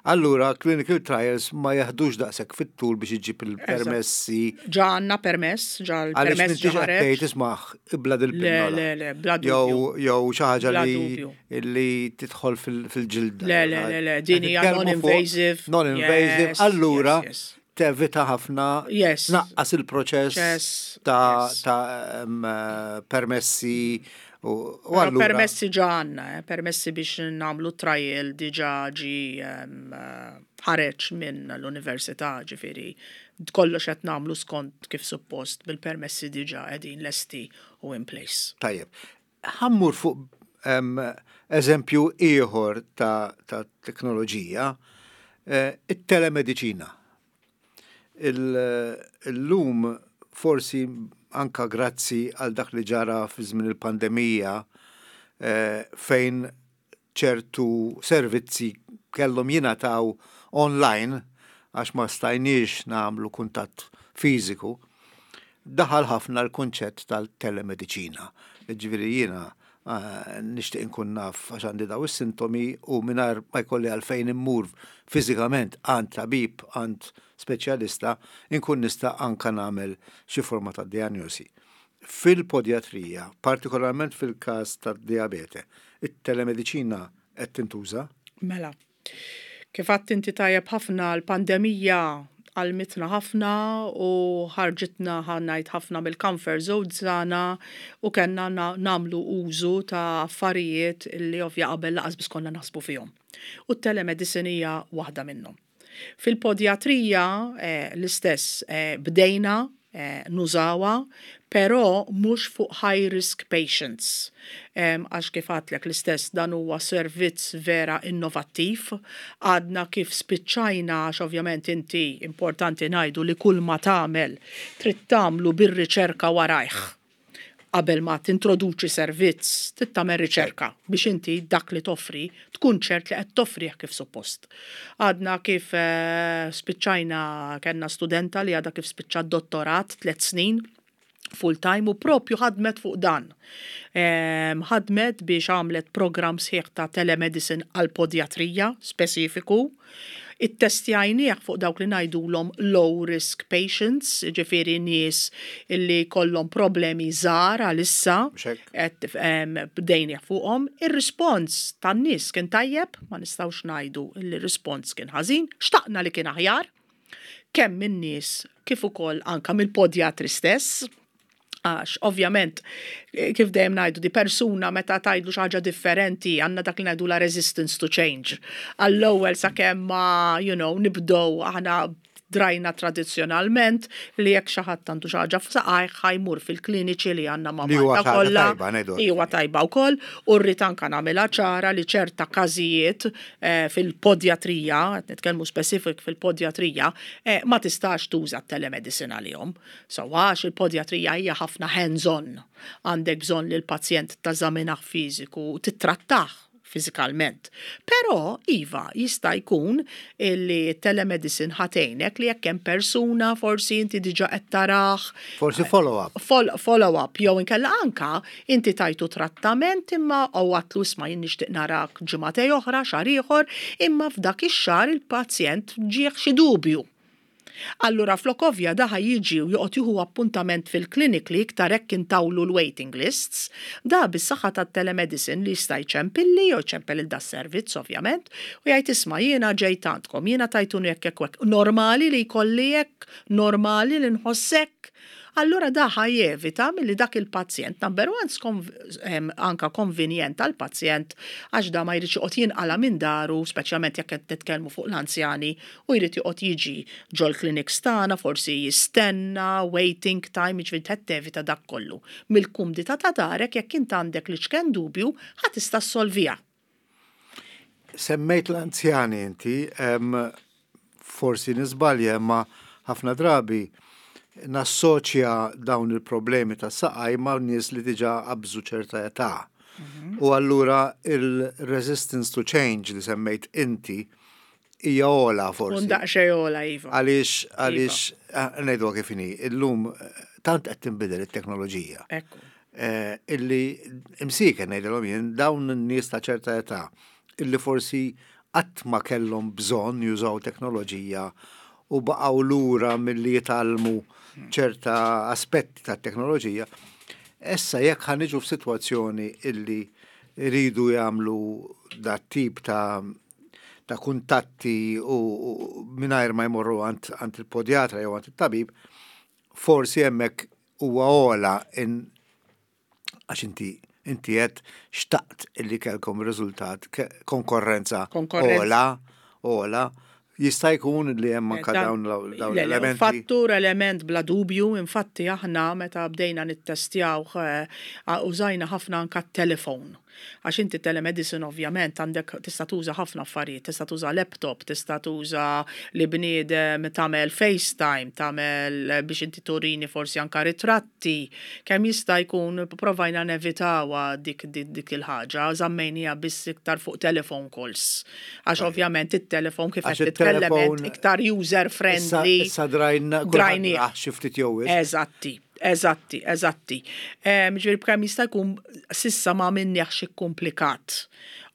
allura clinical trials ma jaħdux daqshekk fit-tul biex iġib il-permessi. Ġa għandna permess, ġa Għaliex l-permess m'intix ġa qed ħareġ. tgħid, "Isma', ibla' dil-pinnola." Le, le, le, bla Jew dubju. jew xi ħaġa Bla li dubju. li tidħol fil- fil-ġilda. Le, le, le, le, din hija Qed nitkellmu fuq non-invasive. Non-invasive, Yes, allura yes, yes. tevita ħafna, Yes. naqqas il-proċess Yes, ta' yes. ta' em, eh, permessi u u Però allura permessi ġa għandna, eh, permessi biex nagħmlu trial diġa ġi em, eh, ħareġ minn l-università, ġifieri kollox qed nagħmlu skont kif suppost bil-permessi diġa qegħdin lesti u in place. Tajjeb. Ħa mmur fuq em, eżempju ieħor ta', ta' teknoloġija, eh, it-telemedicina. Il- Illum forsi anka grazzi għal dak li ġara fi żmien il-pandemija eh, fejn ċertu servizzi kellhom jingħataw online għax ma stajniex nagħmlu kuntatt fiżiku, daħal ħafna l-konċett tal-telemedicina. Ġifieri jiena eh, nixtieq inkun naf għax għandi daw is-sintomi u mingħajr ma jkolli għalfejn immur fiżikament għand tabib, għand speċjalista, inkun nista' anka nagħmel xi forma ta' diagnosi. Fil-podjatrija, partikolarment fil-każ tad-diabete, it-telemedicina qed tintuża? Mela, kif għedt inti tajjeb ħafna, l-pandemija għallmitna ħafna u ħarġitna, ħa ngħid, ħafna mill-comfort zone tagħna u kellna nagħmlu użu ta' affarijiet li ovvja qabel lanqas biss konna naħsbu fihom. U t-telemedicine hija waħda minnhom. Fil-podjatrija eh, l-istess eh, bdejna eh, nużawha, però mhux fuq high risk patients. Għax kif għedtlek l-istess, dan huwa servizz vera innovattiv. Għadna kif spiċċajna, għax ovvjament inti importanti ngħidu li kull ma tagħmel trid tagħmlu bir-riċerka warajh. Qabel ma tintroduċi servizz, trid tagħmel riċerka biex inti dak li toffri tkun ċert li qed toffrih kif suppost. Għadna kif eh, spiċċajna, kellna studenta li għadha kif spiċċa dottorat tliet snin. Full time u propju ħadmet fuq dan. Em, Ħadmet biex għamlet program sħiħ ta' telemedicine għal podjatrija speċifiku. Ittestjajnieh fuq dawk li ngħidulhom low risk patients, ġifieri nies illi kollhom problemi żgħar għalissa, Mhux hekk? qed em, bdejnieh fuqhom. Ir-rispons tan-nies kien tajjeb, ma nistgħux ngħidu li r-rispons kien ħażin, xtaqna li kien aħjar, kemm min-nies kif ukoll anka mill-podjatri stess. Għax, ovvjament, eh, kif dejjem ngħidu, di persuna meta tgħidlu xi ħaġa differenti, għandna dak li ngħidu la resistance to change. Għall-ewwel sakemm ma, you know, nibdow aħna drajna tradizzjonalment li jekk xi ħadd għandu xi ħaġa f'saqajh ħa jmur fil-kliniċi li għandna ma' Li huwa Malta ħaġa kollha. tajba, ngħidu. Li huwa tajba wkoll u rrid anka nagħmilha ċara li ċerta każijiet eh, fil-podjatrija, qed nitkellmu specific fil-podjatrija, eh, ma tistax tuża t-telemedicine għalihom. So għax il-podjatrija hija ħafna hands-on. Għandek bżonn li l-pazjent teżaminah fiżiku, tittrattah fizikalment. Però, iva, jista' jkun li telemedicine ħa tgħinek li jekk hemm persuna forsi inti diġà qed tarah, Forsi follow-up. Fol- follow-up jew inkella anka inti tajtu trattament imma u għedtlu, "Isma', jien nixtieq narak ġimagħtejn oħra, xahar ieħor," imma f'dak ix-xahar il-pazjent ġieħ xi dubju. Allura flok ovvja da ħa jiġi u joqgħod jieħu appuntament fil-klinik li iktar hekk intawlu l-waiting lists, da bis-saħħa tat-telemedicine li jista' jċempilli jew jċempel il da servizz ovvjament u jgħid, "Isma', jiena ġejt għandkom, jiena tajtuni hekk hekk hekk. Normali li jkolli hekk, normali li nħossek?" Allura da ħa jevita milli dak il-pazjent, number one, skonv- em, anka konvenjent għal-pazjent għax da ma jridx joqgħod jinqala minn daru, speċjalment jekk qed nitkellmu fuq l-anzjani, u jrid joqgħod jiġi ġol-clinics tagħna, forsi jistenna, waiting time, jiġifieri qed tevita dak kollu. Mill-kumdità ta' darek, jekk int għandek l-iċken dubju, ħa tista' ssolviha. Semmejt l-anzjani inti, em, forsi niżbalja, imma ħafna drabi nassoċja dawn il-problemi ta' saqaj ma' nies li diġà qabżu ċerta età. U allura il-resistance to change li semmejt inti hija ogħla forsi. Un daqsxejn ogħla, iva. Għaliex, għaliex, eh, ngħidu kif inhi, illum eh, tant qed tinbidel it-teknoloġija. Ekku. Eh, illi imsieken ngħidilhom jien dawn in-nies ta' ċerta età illi forsi qatt ma kellhom bżonn jużaw teknoloġija u baqgħu lura milli jitgħallmu ċerta aspetti tat-teknoloġija. Issa jekk ħa niġu f'sitwazzjoni illi rridu jagħmlu dat tip ta' ta' kuntatti u, u mingħajr ma jmorru għand, għand il-podjatra jew għand il-tabib, forsi hemmhekk huwa ogħla in għax inti inti qed xtaqt illi kellkom riżultat ke- konkorrenza Konkorrenza. ogħla, ogħla, jista' jkun li hemm anka Dan- dawn l- dawn Le, le, l-elementi. Fattur element bla dubju, infatti aħna meta bdejna nittestjaw eh, użajna ħafna anka telefon. Għax inti telemedicine ovvjament għandek tista' tuża ħafna affarijiet, tista' tuża laptop, tista' tuża li bniedem tagħmel FaceTime, tagħmel biex inti turini forsi anka ritratti. Kemm jista' jkun provajna nevitawha dik, dik, dik il-ħaġa, żammejniha biss iktar fuq telephone calls. Għax ovvjament it-telefon kif Għax qed titkellem it-telefon- int iktar user Issa friendly. issa drajna Drajni. kulħadd xi ftit jew wisq. Eżatti, eżatti, eżatti. Ġifieri b'kemm jista' jkun s'issa ma minniex komplikat.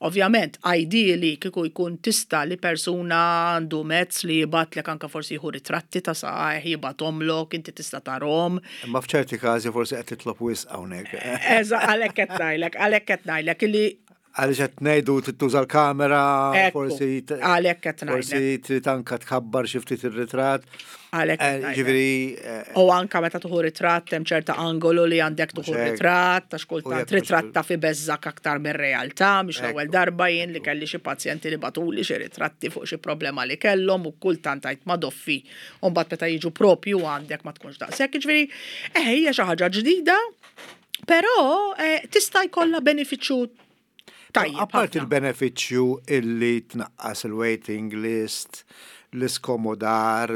Ovvjament, ideally kieku jkun tista' li persuna għandu mezz li jibgħatlek anka forsi jieħu ritratti ta' saqajh, jibgħathomlok, inti tista' tarahom. Imma f'ċerti każi forsi qed titlob wisq hawnhekk. Eża, għalhekk qed ngħidlek, għalhekk qed ngħidlek li Għaliex qed ngħidu tittuża l-kamera, Ekku, forsi t- għalhekk qed forsi ngħidlek. trid anka tkabbar xi ftit ir-ritratt. Għalhekk qed Eh, ngħidlek. Ġifieri eh, U anka meta tieħu ritratt hemm ċerta angolu li għandek tieħu Mhux hekk. ritratt, għax U kultant jekk mhux ritratt ta' fi beżżak aktar mir-realtà, mhix l-ewwel Ekku. darba jien li kelli xi pazjenti li bagħtuli xi ritratti fuq xi problema li kellhom u kultant għidt madoffi. U mbagħad meta jiġu propju għandek ma tkunx daqshekk. Ġifieri, eh hija xi ħaġa ġdida, però eh, tista' jkollha benefiċċju tajjeb. Apart ħafna. il-benefiċċju illi tnaqqas il-waiting list, l-iskomodar,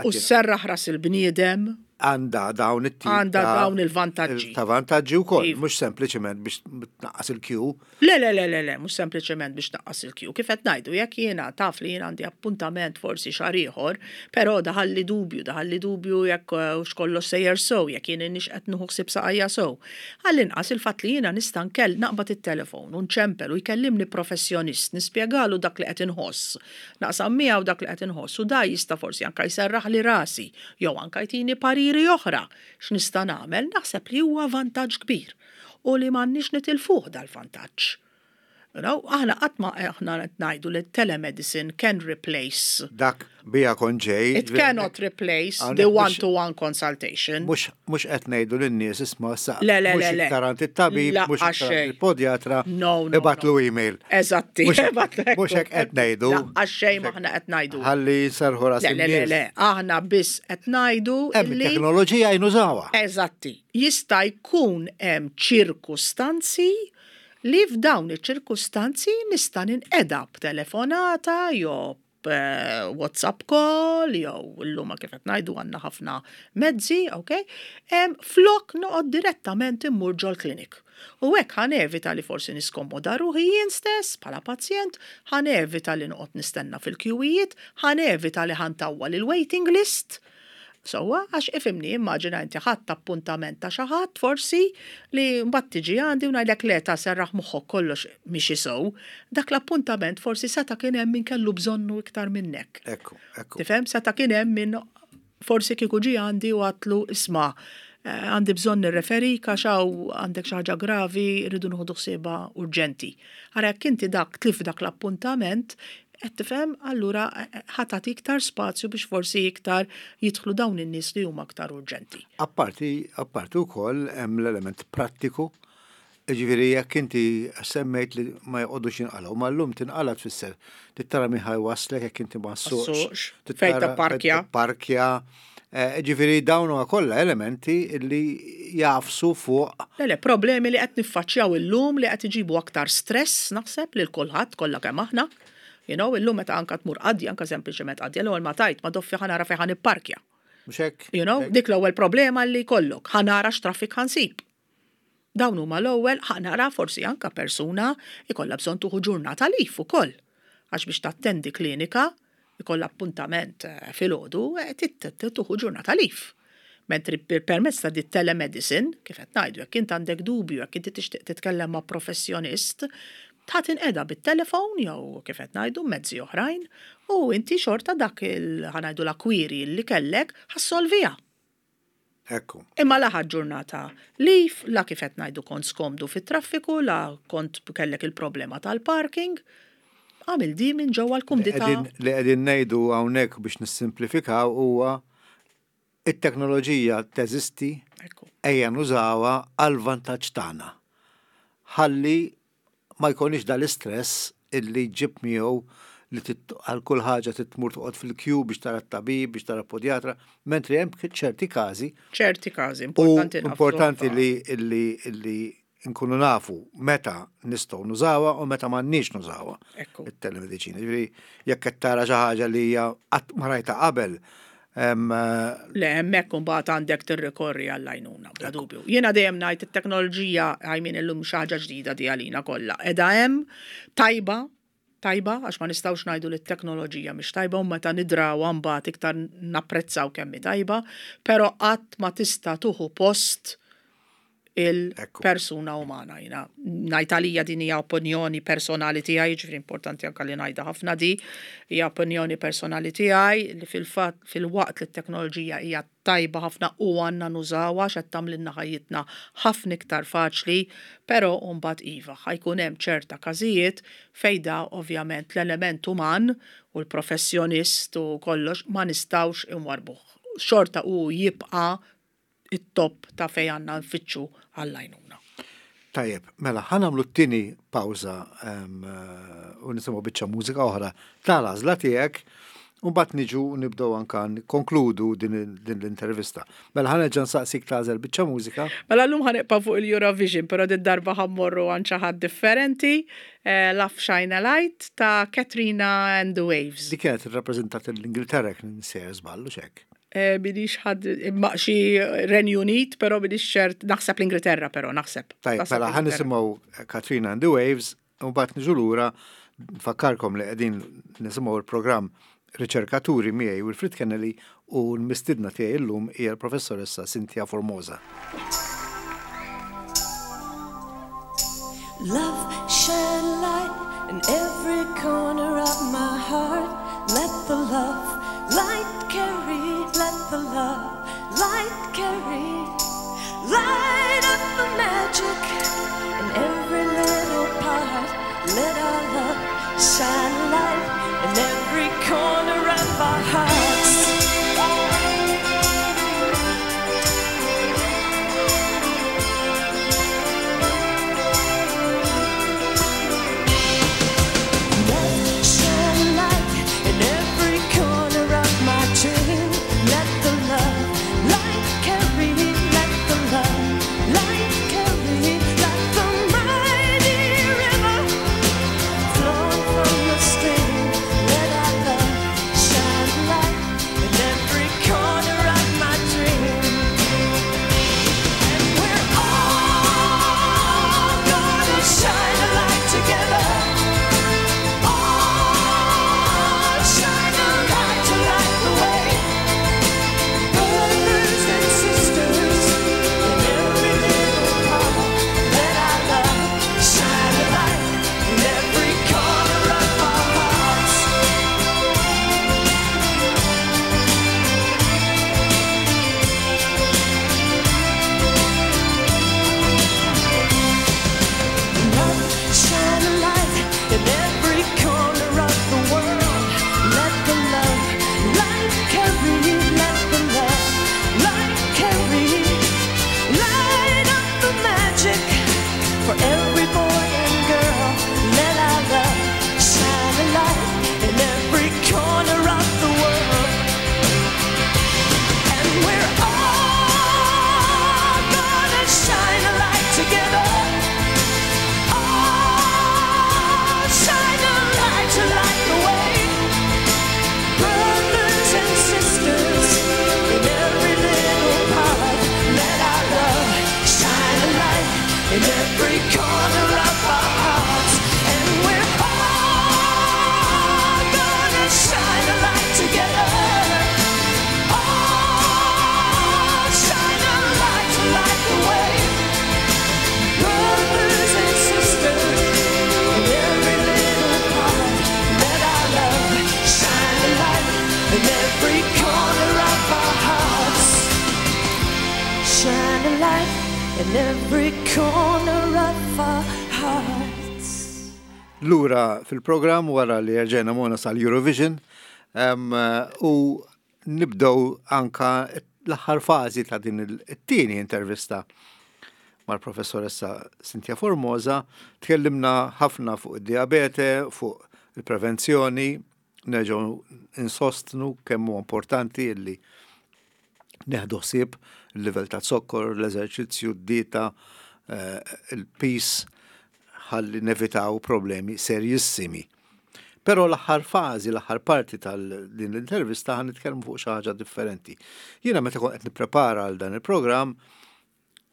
U sserraħ ras il-bniedem. Għandha dawn it-tip Għandha ta' dawn il-vantaġġi. Ta' vantaġġi wkoll, Iva. mhux sempliċement biex tnaqqas il-queue. Le, le, le, le, le, mhux sempliċement biex tnaqqas il-queue. Kif qed ngħidu, jekk jiena taf li jiena għandi appuntament forsi xahar ieħor, però daħalli dubju, daħalli dubju jekk eh, hux kollox sejjer sew, jekk jien inix qed nieħu ħsieb saqajja sew. Għall-inqas il-fatt li jiena nista' nkell naqbad it-telefon u nċempel u jkellimni professjonist, nispjegalu dak li qed inħoss. Naqsam miegħu dak li qed inħoss u da jista' forsi anka jserraħ li rasi jew anka jtini pariri oħra x'nista' nagħmel, naħseb li huwa vantaġġ kbir u li m'għandniex nitilfuh dal-vantaġġ. You know, aħna qatt ma aħna qed ngħidu li telemedicine can replace. Dak bija kont ġej. It cannot replace Hawnhekk the mhux- one-to-one consultation. Mhux mhux qed ngħidu lin-nies isma' sa Le, le, mhux le, le. iktar għand it-tabib, La, mhux iktar għand għax il-podjatra, No, no, ibgħatlu no. email. Eżatti. Mhux mhux hekk qed ngħidu. Għax xejn m'aħna qed ngħidu. Ħalli nserrħu ras Le, le, le, in-nies. le, aħna biss qed ngħidu Hemm li it-teknoloġija nużawha. Eżatti. Jista' jkun hemm ċirkustanzi li f'dawn iċ-ċirkustanzi nista' ninqeda b'telefonata jew b- WhatsApp call jew illum kif qed ngħidu għandna ħafna mezzi, ok? Em, flok noqgħod direttament immur ġol-klinik. U hekk ħa nevita li forsi niskomoda ruħi jien stess bħala pazjent, ħa nevita li noqgħod nistenna fil-kjuwijiet, ħa nevita li ħa ntawwal il-waiting list. Sewwa, għax ifhimni, immaġina inti ħadt appuntament ta' xi ħadd forsi li mbagħad tiġi għandi u ngħidlek le ta' serraħ moħħok kollox miexi sew, dak l-appuntament forsi seta' kien hemm min kellu bżonnu iktar minnek. Ekku, ekku. Tifhem, seta' kien hemm min forsi kieku ġi għandi u għedtlu isma' eh, għandi bżonn nirreferik għax hawn għandek xi ħaġa gravi, rridu nieħdu ħsiebha urġenti. Ara jekk inti dak tlift dak l-appuntament, qed tifhem, allura eh, eh, ħa tagħti iktar spazju biex forsi iktar jidħlu dawn in-nies li huma aktar urġenti. Apparti, apparti wkoll hemm l-element prattiku. Ġifieri jekk inti semmejt li ma jqogħdux jinqalgħu, ma llum tinqala tfisser trid tara min ħa jwasslek jekk inti ma ssuqx. ssuqx, fejn tapparkja. Parkja. Ġifieri dawn huma kollha elementi li jagħfsu fuq Le, le, problemi li qed niffaċċjaw illum li qed iġibu aktar stress naħseb lil kulħadd kollha kemm aħna. You know, illum meta anka tmur qadja, anka sempliċement qadja, l-ewwel ma tajt ma doffi ħa nara fejn ħa nipparkja. Mhux hekk? You know, dik l-ewwel problema li jkollok, ħa nara x'traffik ħa nsib. Dawn huma l-ewwel ħa nara forsi anka persuna ikollha bżonn tieħu ġurnata leave ukoll. Għax biex tattendi klinika, ikollha appuntament eh, filgħodu, eh, tieħu ġurnata leave. Mentri per- permezz ta' di telemedicine, kif qed ngħidu, jekk int għandek dubju, jekk inti tixtieq titkellem ma' professjonist, ta' tinqeda bit-telefon jew kif qed ngħidu mezzi oħrajn u inti xorta dak il ħa ngħidu la query li kellek ħa ssolviha. Ekku. Imma la ħadt ġurnata leave, la kif qed ngħidu kont skomdu fit-traffiku, la kont kellek il-problema tal-parking, għamil di minn ġewwa l-kumdità. Qegħdin- Li qegħdin ngħidu hawnhekk biex nissimplifikaw huwa it-teknoloġija teżisti Ekku. ejja nużawha għal vantaġġ tagħna. Ħalli ma jkunix dal-istress illi ġib miegħu li tit- għal kull ħaġa titmur toqgħod fil-queue biex tara t-tabib, biex tara podjatra, mentri hemm ċerti każi ċerti każi, u importanti nafsu importanti ħafna. li li li nkunu nafu meta nistgħu nużawha u meta m'għandniex nużawha Ekku. it-telemedicina. Ġifieri jekk qed tara xi ħaġa li hija qatt ma rajta qabel, em, Le, hemmhekk imbagħad għandek tirrikorri għall-għajnuna, bla dubju. Jiena dejjem ngħid it-teknoloġija għajmin illum xi ħaġa ġdida di għalina kollha. Qiegħda hemm tajba, tajba, għax ma nistgħux ngħidu li t-teknoloġija mhix tajba u meta nidrawha mbagħad iktar napprezzaw kemm hi tajba, però qatt ma tista' tieħu post il-persuna umana. Jiena ngħid għalija din hija opinjoni personali tiegħi, ġifieri importanti anke li ngħidha ħafna di, hija opinjoni personali tiegħi li fil-fatt fil-waqt li t-teknoloġija hija tajba ħafna u għandna nużawha x'qed tagħmlilna ħajjitna ħafna iktar faċli, però mbagħad iva ħa jkun hemm ċerta każijiet fejn da ovvjament l-element uman u l-professjonist u kollox ma nistgħux inwarbuh. Xorta u jibqa' it-top ta' fej għandna nfittxu għall-għajnuna. Tajjeb, mela, ħa nagħmlu t-tieni pawża em, eh, u nisimgħu biċċa mużika oħra tal-għażla tiegħek u mbagħad niġu nibdew anka nkonkludu din din l-intervista. Mela ħa nerġa' nsaqsik tagħżel biċċa mużika. Mela llum ħa nibqa' fuq il-Eurovision, però din darba ħa mmorru għand xi ħadd differenti, eh, Love Shine a Light ta' Katrina and the Waves. Di kienet irrappreżentat l-Ingilterra kien sejjer żball u xek. Eh, Minix ħad imma xi Renju Unit, però minix ċert, naħseb l-Ingilterra, però naħseb. Tajb, Naħseb mela ħa l-Ingilterra. nisimgħu Katrina and the Waves u mbagħad niġu lura nfakkarkom li qegħdin nisimgħu l-programm Riċerkaturi miegħi Wilfrid Kennelly u l-mistidna tiegħi llum hija l-professoressa Cynthia Formosa. Love, shine a light in every corner of my heart. Let the love light carry, let the love light carry. Light up the magic in every little part. Let our love shine a light in every corner of our hearts. Let shine a light in every corner of my dream. Let the love light carry, let the love light carry, like the mighty river flowing from the stream. Let our love shine a light in every corner of my dream. And we're all gonna shine a light together. All shine a light to light the way. Brothers and sisters in every little part. Let our love shine a light in every corner of our hearts. Love, shine a light in every corner of the world. Let the love light carry, let the love light carry. Light up the magic for every boy and girl. Let our love shine a light in every corner of the world. And we're all gonna shine a light together. All shine a light to light the way. Brothers and sisters in every little part. Let our love shine a light in every corner of our hearts. And we're all gonna shine a light together. All shine a light to light the way. Brothers and sisters in every little part, let our love shine a light in every corner of our hearts. Shine a light in every corner of our hearts. Lura fil-programm wara li rġajna morna sal-Eurovision em, u nibdew anka l-aħħar fażi ta' din it-tieni intervista mal-professoressa Cynthia Formosa. Tkellimna ħafna fuq id-diabete, fuq il-prevenzjoni, nerġgħu insostnu kemm huwa importanti illi neħdu ħsieb il-livell ta' zokkor, l-eżerċizzju, d-dieta, eh, il-piż, ħalli nevitaw problemi serjissimi. Però l-aħħar fażi, l-aħħar parti tal-din l-intervista ħa nitkellmu fuq xi ħaġa differenti. Jiena meta kont qed nipprepara għal dan il-programm,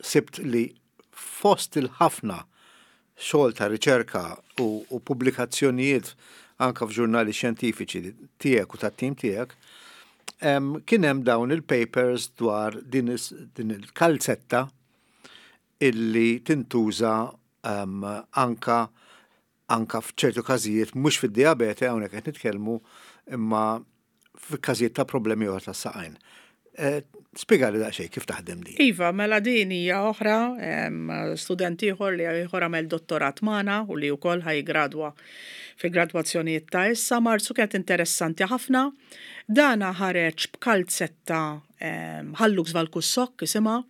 sibt li fost il-ħafna xogħol ta' riċerka u, u pubblikazzjonijiet anka f'ġurnali xjentifiċi tiegħek u tat-tim tiegħek, em, kien hemm dawn il-papers dwar din, is- din il-kalzetta illi tintuża um, anka anka f'ċertu każijiet mhux fid-diabete hawnhekk qed nitkellmu imma f'każijiet ta' problemi oħra tas-saqajn. Eh, Spjegali daqsxejn kif taħdem din. Iva, mela din hija oħra, em, student ieħor li ieħor għamel dottorat magħna u li wkoll ħa jiggradwa fi gradwazzjonijiet ta' issa Marzu kienet interessanti ħafna. Dana ħareġ b'kalzetta em, Hallux Valgus Sock isimha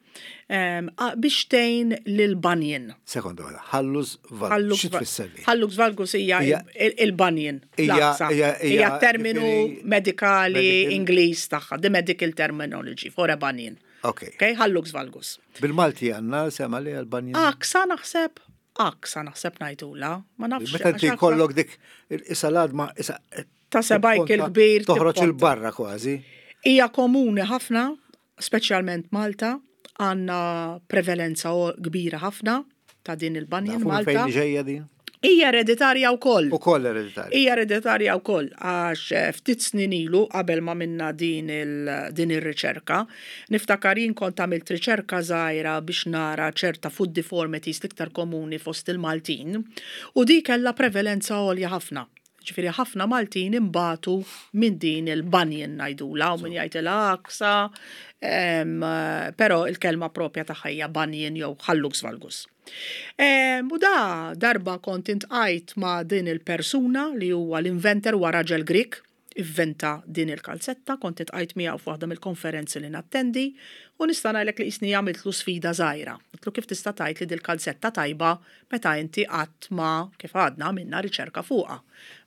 em, a- biex tgħin lil bunion. Sekonda waħda, Hallux Valgus. Hallux Xi tfisser li? Hallux valgus hija Hija- il- il-bunion. Hija- l-aqsa. hija- hija- Hija terminu ġifieri- medikali medical- Ingliż tagħha, the medical terminology for a bunion. Ok. Okay, hallux valgus. Bil-Malti għandna sema li għal-bunion. Aksa naħseb, aksa naħseb ngħidula, ma nafx. Meta inti għax aksa- kollok dik isa l-għadma isa Ta' sebajk il-kbir Toħroġ tipponta. il-barra kważi. Hija komuni ħafna, speċjalment Malta, għandna prevalenza kbira ħafna ta' din il-bunion Malta. Fejn ġejja din? Hija ereditarja wkoll. Ukoll ereditarja. Hija ereditarja wkoll għax eh, ftit snin ilu qabel ma minna din il din ir-riċerka, niftakar jien kont għamilt riċerka żgħira biex nara ċerta foot deformities l-iktar komuni fost il-Maltin u di kellha prevalenza għolja ħafna. Ġifieri ħafna Maltin imbatu minn din il-bunion ngħidula u min jgħidilha għaksa, però il-kelma propja tagħha hija bunion jew hallux valgus. U da darba kont iltqajt ma' din il-persuna li huwa l-inventor, huwa raġel Grik, inventa din il-kalzetta, kont iltqajt miegħu f'waħda mill-konferenzi li nattendi u nista' ngħidlek li qisni għamiltlu sfida żgħira. Għedtlu, "Kif tista' tgħid li dil-kalzetta tajba meta inti qatt ma, kif għadna, għamilna riċerka fuqha?"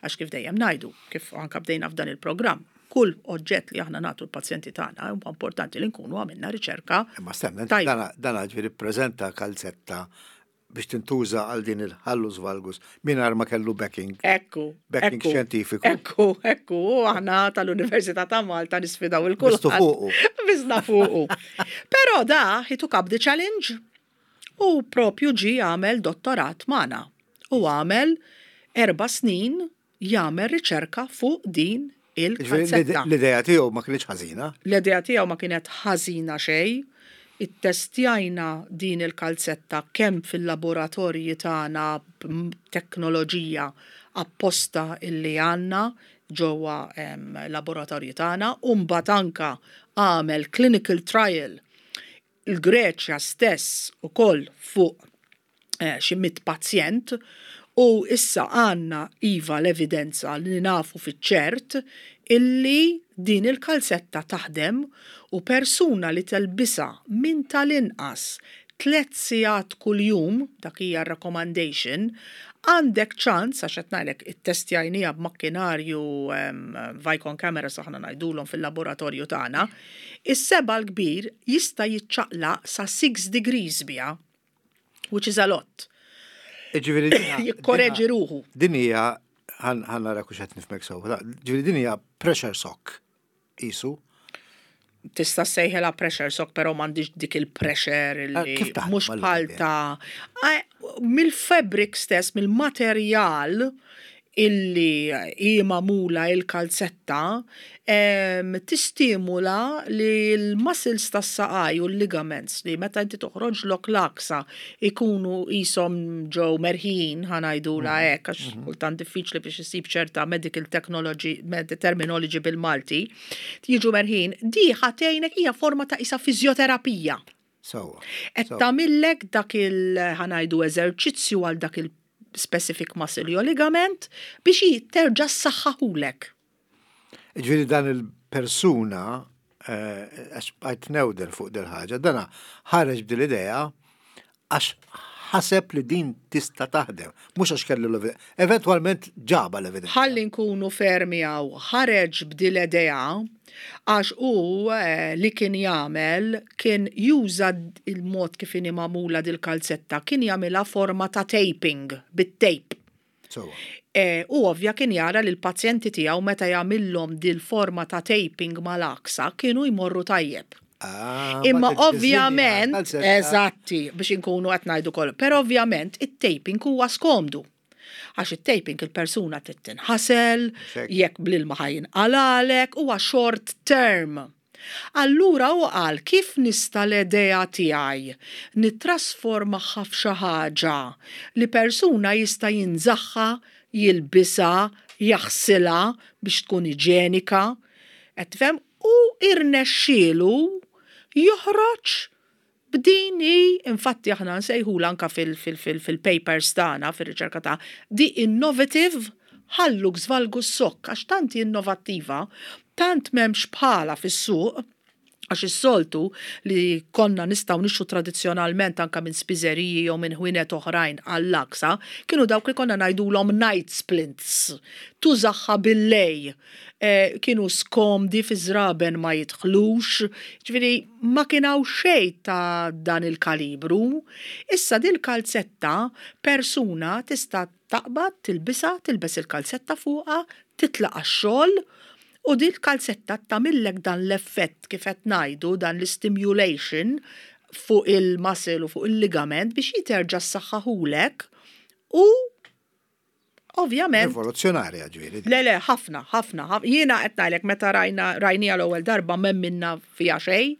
Għax kif dejjem ngħidu, kif anka bdejna f'dan il-programm, kull oġġett li aħna nagħtu l-pazjenti tagħna huwa importanti li nkunu għamilna riċerka. Imma stenna, dan ġifieri ppreżenta kalzetta biex tintuża għal din il-hallux valgus mingħajr ma kellu backing. Ekku. Backing xjentifiku. Ekku, ekku, aħna tal-Università ta' Malta nisfidaw il-kull. fuqu. Bizna fuqu. Però da, he took up the challenge u propju ġi għamel dottorat magħna. U għamel erba' snin jagħmel riċerka fuq din il-kalzetta. L-idea tiegħu ma kienx ħażina. L-idea tiegħu ma kienet ħażina xejn. Ittestjajna din il-kalzetta kemm fil-laboratorji tagħna b'teknoloġija apposta illi għandna ġewwa laboratorji tagħna u mbagħad anka għamel clinical trial il-Greċja stess ukoll fuq eh, xi mitt pazjent u issa għandna iva l-evidenza li nafu fiċ-ċert illi din il-kalzetta taħdem u persuna li telbisha minn tal-inqas tliet sigħat kuljum, dak hija recommendation, għandek ċans, għax qed ngħidlek ittestjajnieha b'makkinarju um, Vicon cameras aħna ngħidulhom fil-laboratorju tagħna, is-seba' l-kbir jista' jiċċaqlaq sa six degrees biha, which is a lot. Ġifieri Jikkoreġi ruħu. Din hija, ħa nara hux qed nifhmek sew. Ġifieri din hija pressure sock qisu. Tista' sejħela pressure sock, però m'għandix dik il-pressure Ah, li kif taħdem mhux allura bħal din? ta' mill-fabric stess, mill-materjal illi hi magħmula il-kalzetta, em, tistimula li l-muscles tas-saqaj u l-ligaments li meta inti toħroġ lok l-għaksa ikunu qishom ġew merħin, ħa ngħidula hekk, għax kultant diffiċli biex isib ċerta medical technology, med terminology bil-Malti, jiġu merħin, di ħa tgħinek, hija forma ta' isa fizjoterapija. Sewwa. Qed tagħmillek dak il ħa ngħidu eżerċizzju għal dak il specific muscle jew ligament biex terġa' ssaħħaħulek. Ġifieri dan il-persuna, eh, għax għajt newden fuq dil-ħaġa, dana ħareġ b'dil-idea għax ħaseb li din tista' taħdem, mhux għax kellu l-evidenza. Eventwalment ġaba l-evidenza. Ħalli nkunu fermi għaw, ħareġ b'dil-idea għax u eh, li kien jagħmel kien juża il-mod kif inhi magħmula dil-kalzetta, kien jagħmilha forma ta' taping, bit-tape. Sewwa. E, u ovvja kien jara li l-pazjenti tiegħu meta jagħmilhom dil-forma ta' taping mal-għaksa kienu jmorru tajjeb. Ah, Imma ma tiddisinja ovvjament, kalzetta. eżatti, biex inkunu qed ngħidu kollu, però ovvjament it-taping huwa skomdu. Għax it-taping il-persuna trid tinħasel, Xek. jekk bl-ilma ħa jinqalalek, huwa short term. Allura u qal, "Kif nista' l-idea tiegħi nittrasformaha f'xi ħaġa li persuna jista' jinżagħha, jilbisha, jaħsilha biex tkun iġenika?" Qed tifhem? U irnexxielu joħroġ b'din hi, infatti aħna nsejħula anka fil-papers tagħna, fir-riċerka ta' di innovative hallux valgus sock, għax tant hi innovattiva, tant m'hemmx bħala fis-suq, għax is-soltu li konna nistgħu nixtru tradizzjonalment anka minn spiżeriji jew minn ħwienet oħrajn għall-għaksa, kienu dawk li konna ngħidulhom night splints. Tużaha bil-lejl. Eh, kienu skomdi, fi żraben ma jidħlux, ġifieri ma kien hawn xejn ta' dan il-kalibru. Issa dil kalzetta persuna tista' taqbad, tilbisha, tilbes il-kalzetta fuqha, titlaq għax-xogħol u U din kalzetta tagħmillek dan l-effett, kif qed ngħidu, dan l-stimulation fuq il-muscle u fuq il-ligament biex jiterġa' ssaħħaħulek u ovvjament Rivoluzzjonarja, ġifieri. Le, le, ħafna, ħafna. Jiena qed ngħidlek, meta rajna rajnija l-ewwel darba m'emminna fiha xejn,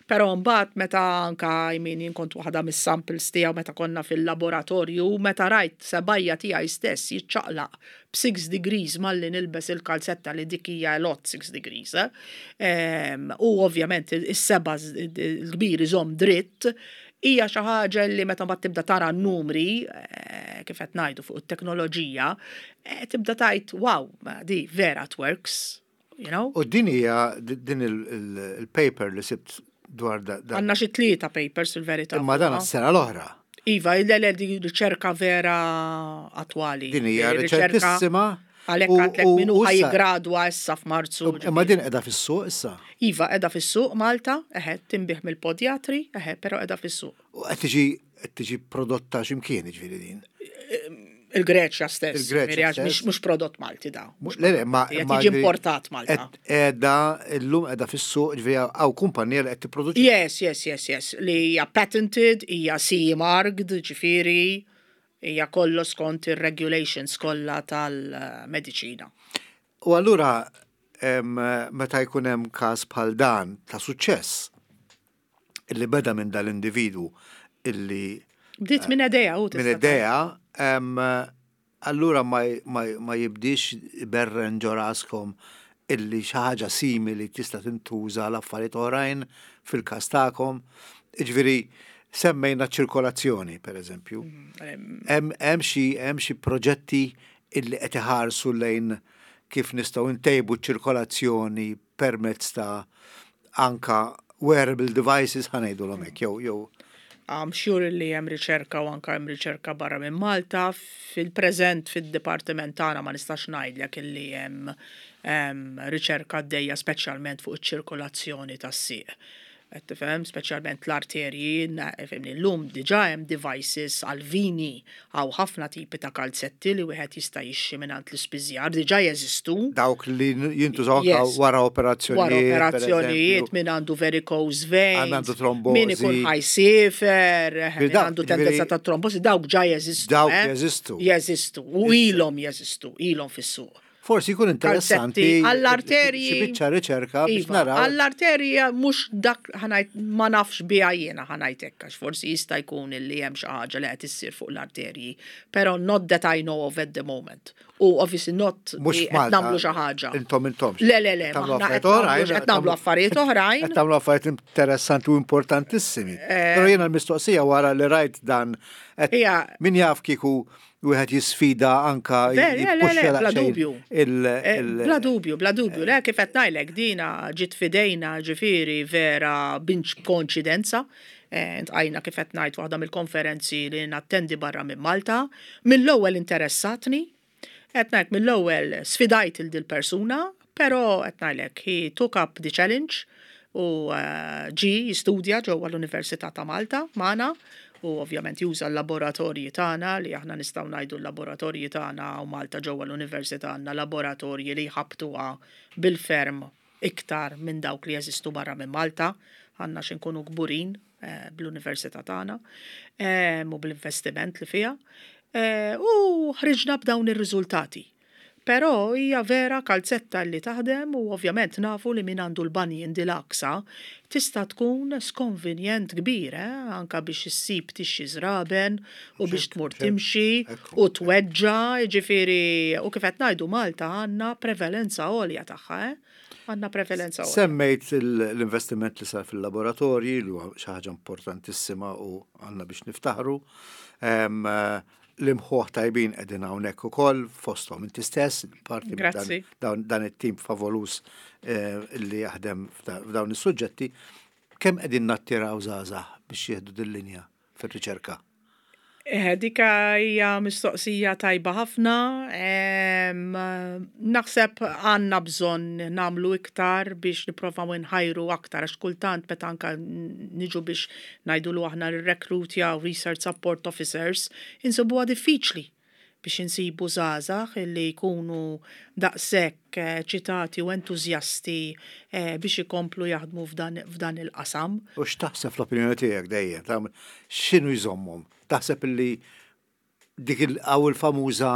però mbagħad meta anka, I mean, jien kont waħda mis-samples tiegħu meta konna fil-laboratorju, meta rajt sebgħajja tiegħi stess jiċċaqlaq b'six degrees malli nilbes il-kalzetta, li dik hija lot six degrees, eh? U ovvjament is-seba' l-kbir iżomm dritt, hija xi ħaġa li meta mbagħad tibda tara n-numri, eh, kif qed ngħidu fuq it-teknoloġija, eh, tibda tgħid, "Wow, di vera it works, you know? U din hija din il-paper li sibt dwar da. Għandna xi tlieta papers fil-verità. Imma dan s-sena l-oħra. Iva, le, di riċerka vera attwali. Din hija riċentissima. Għalhekk għedtlek min hu ħa jiggradwa issa f'Marzu. Imma din qiegħda fis-suq issa? Iva, qiegħda fis-suq Malta, eħe, tinbiegħ mill-podjatri, eħe, però qiegħda fis-suq. U qed tiġi qed tiġi prodotta x'imkien, ġifieri din? Il-Greċja stess. Il-Greċja stess. Mhux prodott Malti da. Le, le, ma tiġi importat Malta. Qiegħda illum qiegħda fis-suq, ġifieri hawn kumpanija li qed tipproduċi. Yes, yes, yes, yes. Li hija patented, hija C E marked, ġifieri, hija kollu skont ir-regulations kollha tal-mediċina. U allura meta jkun hemm każ bħal dan ta' suċċess illi beda minn dal-individwu illi Bdiet minn idea u minn idea, allura ma, ma, ma jibdix berren ġo raskom illi xi ħaġa simili tista' tintuża l-affarijiet oħrajn fil-każ tagħkom? Ġifieri semmejna ċirkolazzjoni, per eżempju. Hemm xi hemm xi proġetti illi qed iħarsu lejn kif nistgħu ntejbu ċirkolazzjoni permezz ta' anka wearable devices, ħa ngħidu hekk, jew jew I'm sure li hemm riċerka u anka hemm riċerka barra minn Malta. Fil-preżent fid-dipartiment tagħna ma nistax ngħidlek illi hemm riċerka għaddejja speċjalment fuq iċ-ċirkolazzjoni tas-sieq. Qed tifhem, speċjalment l-arterji, fhimni, llum diġà hemm devices għal-vini, hawn ħafna tipi ta' kalzetti li wieħed jista' jixtri mingħand l-ispiżjar, diġà jeżistu. Dawk li jintużaw wara operazzjonijiet. Wara operazzjonijiet, min għandu varicose veins. Għandu trombosi. Min ikun ħa jsiefer, min għandu tendenza ta' trombosi, dawk ġa jeżistu. Dawk jeżistu. Jeżistu, u ilhom jeżistu, ilhom fis-suq. Forsi jkun interessanti. Għall-arterji. Xi biċċa riċerka biex Iva, naraw. għall-arterji mhux dak ħa ngħid, ma nafx biha jiena, ħa ngħid hekk, għax forsi jista' jkun illi hemm xi ħaġa li qed issir fuq l-arterji, però not that I know of at the moment. U obviously not Mhux li qed Malta. nagħmlu xi ħaġa. Intom intom. Le, le, le, Tagħmlu aħna qed affarijiet nagħmlu oħrajn, qed nagħmlu affarijiet oħrajn. Qed tagħmlu affarijiet interessanti u importantissimi. Però jiena l-mistoqsija wara li rajt dan qed- Ija. min jaf kieku wieħed jisfida anka Ver, le, le, le, jippuxxa bla daqsxejn dubju. il- Eh, il- Bla dubju, bla dubju. Le, kif qed ngħidlek, dina ġiet fidejna, ġifieri vera binċ koinċidenza. Eh, Iltqajna, kif qed ngħid, waħda mill-konferenzi li nattendi barra minn Malta. Mill-ewwel interessatni. Qed ngħid, mill-ewwel sfidajt il dil persuna, però qed ngħidlek he took up the challenge u eh, ġi jistudja ġewwa l-Università ta' Malta magħna u ovvjament juża l-laboratorji tagħna, li aħna nistgħu ngħidu l-laboratorji tagħna u Malta ġewwa l-Università għandna laboratorji li jħabtuha bil-ferm iktar minn dawk li jeżistu barra minn Malta. Għandna xi nkunu kburin eh, bl-Università tagħna eh, u bl-investiment li fiha. Eh, u ħriġna b'dawn ir-riżultati. Però hija vera kalzetta li taħdem u ovvjament nafu li min għandu l-bunion dil-għaksa tista' tkun skonvenjent kbir, eh? Anka biex issib tixxi żraben u biex tmur timxi Ekku. u tweġġa, ġifieri, u kif qed ngħidu, Malta għandna prevalenza għolja tagħha, eh? Għandna prevalenza għolja. Semmejt il- l-investiment li sar fil-laboratorji, li huwa xi ħaġa importantissima u għandna biex niftaħru. Em, eh, L-imħuħ tajbin qegħdin hawnhekk ukoll fosthom inti stess, parti minn dan, Grazzi. dan, dan it-tim favoluż eh, li jaħdem f'da- f'dawn is-suġġetti. Kemm qegħdin nattiraw żgħażagħ biex jieħdu din linja fir-riċerka? Eh, Dika hija mistoqsija tajba ħafna. Em, Naħseb għandna bżonn nagħmlu iktar biex nipprovaw nħajru aktar, għax kultant meta anka niġu biex ngħidu lu aħna nirrekrutjaw research support officers, insibuha diffiċli. Biex insibu żgħażagħ li jkunu daqshekk eh, eċitati u entużjasti eh, biex ikomplu jaħdmu f'dan, f'dan il-qasam. U x'taħseb fl-opinjoni tiegħek dejjem, ta' x'inhu jżommhom? Taħseb illi dik il- il-famuża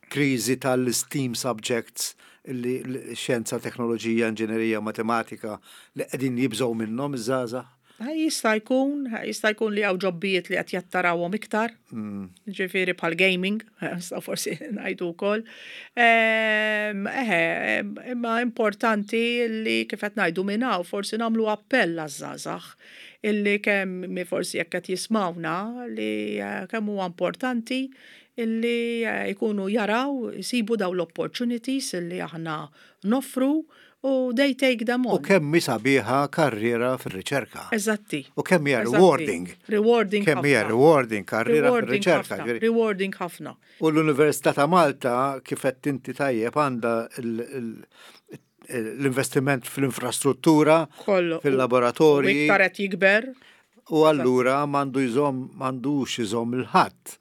kriżi tal-STEAM subjects, illi l-xjenza, teknoloġija, inġinerija, matematika, li qegħdin jibżgħu minnhom iż-żgħażagħ? Jista' jkun, jista' jkun li hawn jobbijiet li qed jattarawhom iktar, ġifieri bħal gaming, nistgħu forsi ngħidu wkoll. Ehm, Eħe, imma importanti li kif qed ngħidu minn hawn forsi nagħmlu appell għaż-żgħażagħ illi kemm mi forsi jekk qed jismawna li eh, kemm huwa importanti illi eh, jkunu jaraw, jsibu daw l-opportunities illi aħna noffru u they take them U on. kemm hi sabiħa karriera fir-riċerka. Eżatti. U kemm hija Eżatti. rewarding. Rewarding Kemm hija ħafna. rewarding karriera Rewarding fir-riċerka. ħafna. ġifieri. Rewarding ħafna. U l-Università ta' Malta, kif qed inti tajjeb, għandha l- l- l-investiment fl-infrastruttura, Kollu. U fil-laboratorji, iktar qed jikber. U allura m'għandu jżomm m'għandux iżomm il-ħadd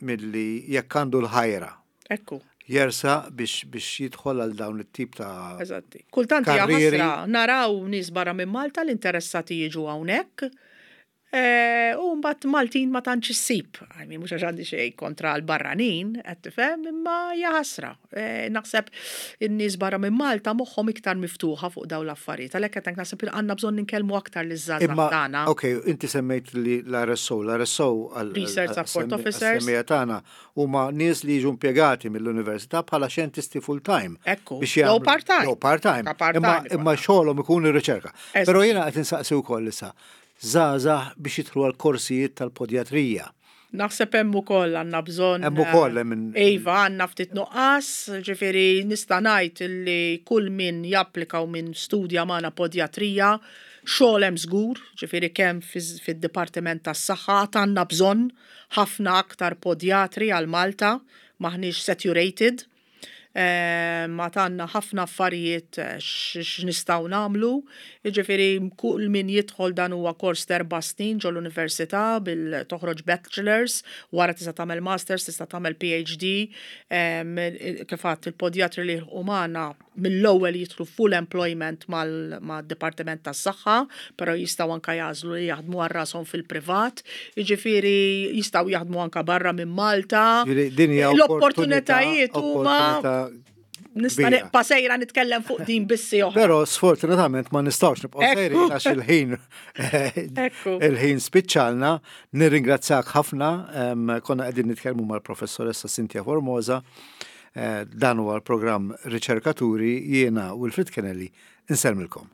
milli, jekk għandu l-ħajra, Ekku, jersaq biex biex jidħol għal dawn it-tip ta' eżatti. Kultant hija karrieri. ħasra naraw nies barra minn Malta l-interessati jiġu hawnhekk. Eh, U mbagħad Maltin ma tantx issib. I mean, mhux għax għandi xejn kontra l-barranin, qed tifhem, imma hija ħasra. Eh, Naħseb in-nies barra minn Malta moħħhom iktar miftuħa fuq dawn l-affarijiet. Għalhekk qed naħseb li għandna bżonn ninkellmu aktar liż-żgħażagħ Imma, tagħna. Ok, inti semmejt li l-R S O, l-R S O għal Research Support Officers. Semmija tagħna huma nies li jiġu impjegati mill-università bħala xjentisti full-time. Ekku, biex jew jagħmlu- part-time. Jew part-time. Ta' part-time Imma, ikun. imma xogħolhom ikun ir-riċerka. Eżatt. Però jiena qed insaqsi wkoll issa żgħażagħ biex jidħlu għal korsijiet tal-podjatrija. Naħseb hemm ukoll għandna bżonn. Hemm ukoll hemm in- Iva, għandna ftit nuqqas, ġifieri nista' ngħid illi kull min japplika u min studja magħna podjatrija, xogħol hemm żgur, ġifieri kemm fiż- fid-Dipartiment tas-Saħħa għandna bżonn ħafna aktar podjatri għal Malta, maħniex saturated. Eh, ma għandna ħafna affarijiet eh, x'nistgħu nagħmlu. Jiġifieri kull min jidħol, dan huwa kors erba' snin ġol università bil toħroġ bachelors, wara tista' tagħmel masters, tista' tagħmel P H D, em, kif għadt, il-podjatri li umana mill-ewwel jidħlu full employment mal-Dipartiment tas-Saħħa, però jistgħu anka jagħżlu li jaħdmu għal rashom fil-privat, jiġifieri jistgħu jaħdmu anka barra minn Malta. Ġifieri din hija L-opportunitajiet huma opportunità nista' kbira. nibqa' sejra nitkellem fuq din bissi oħra. Però sfortunatament ma nistgħux nibqgħu Ekku. sejrin għax il-ħin Ekku. il-ħin spiċċalna. Nirringrazzjak ħafna. em, Konna qegħdin nitkellmu mal-professoressa Cynthia Formosa. Eh, Dan huwa l-programm Riċerkaturi, jiena Wilfred Kennelly. Insellmilkom.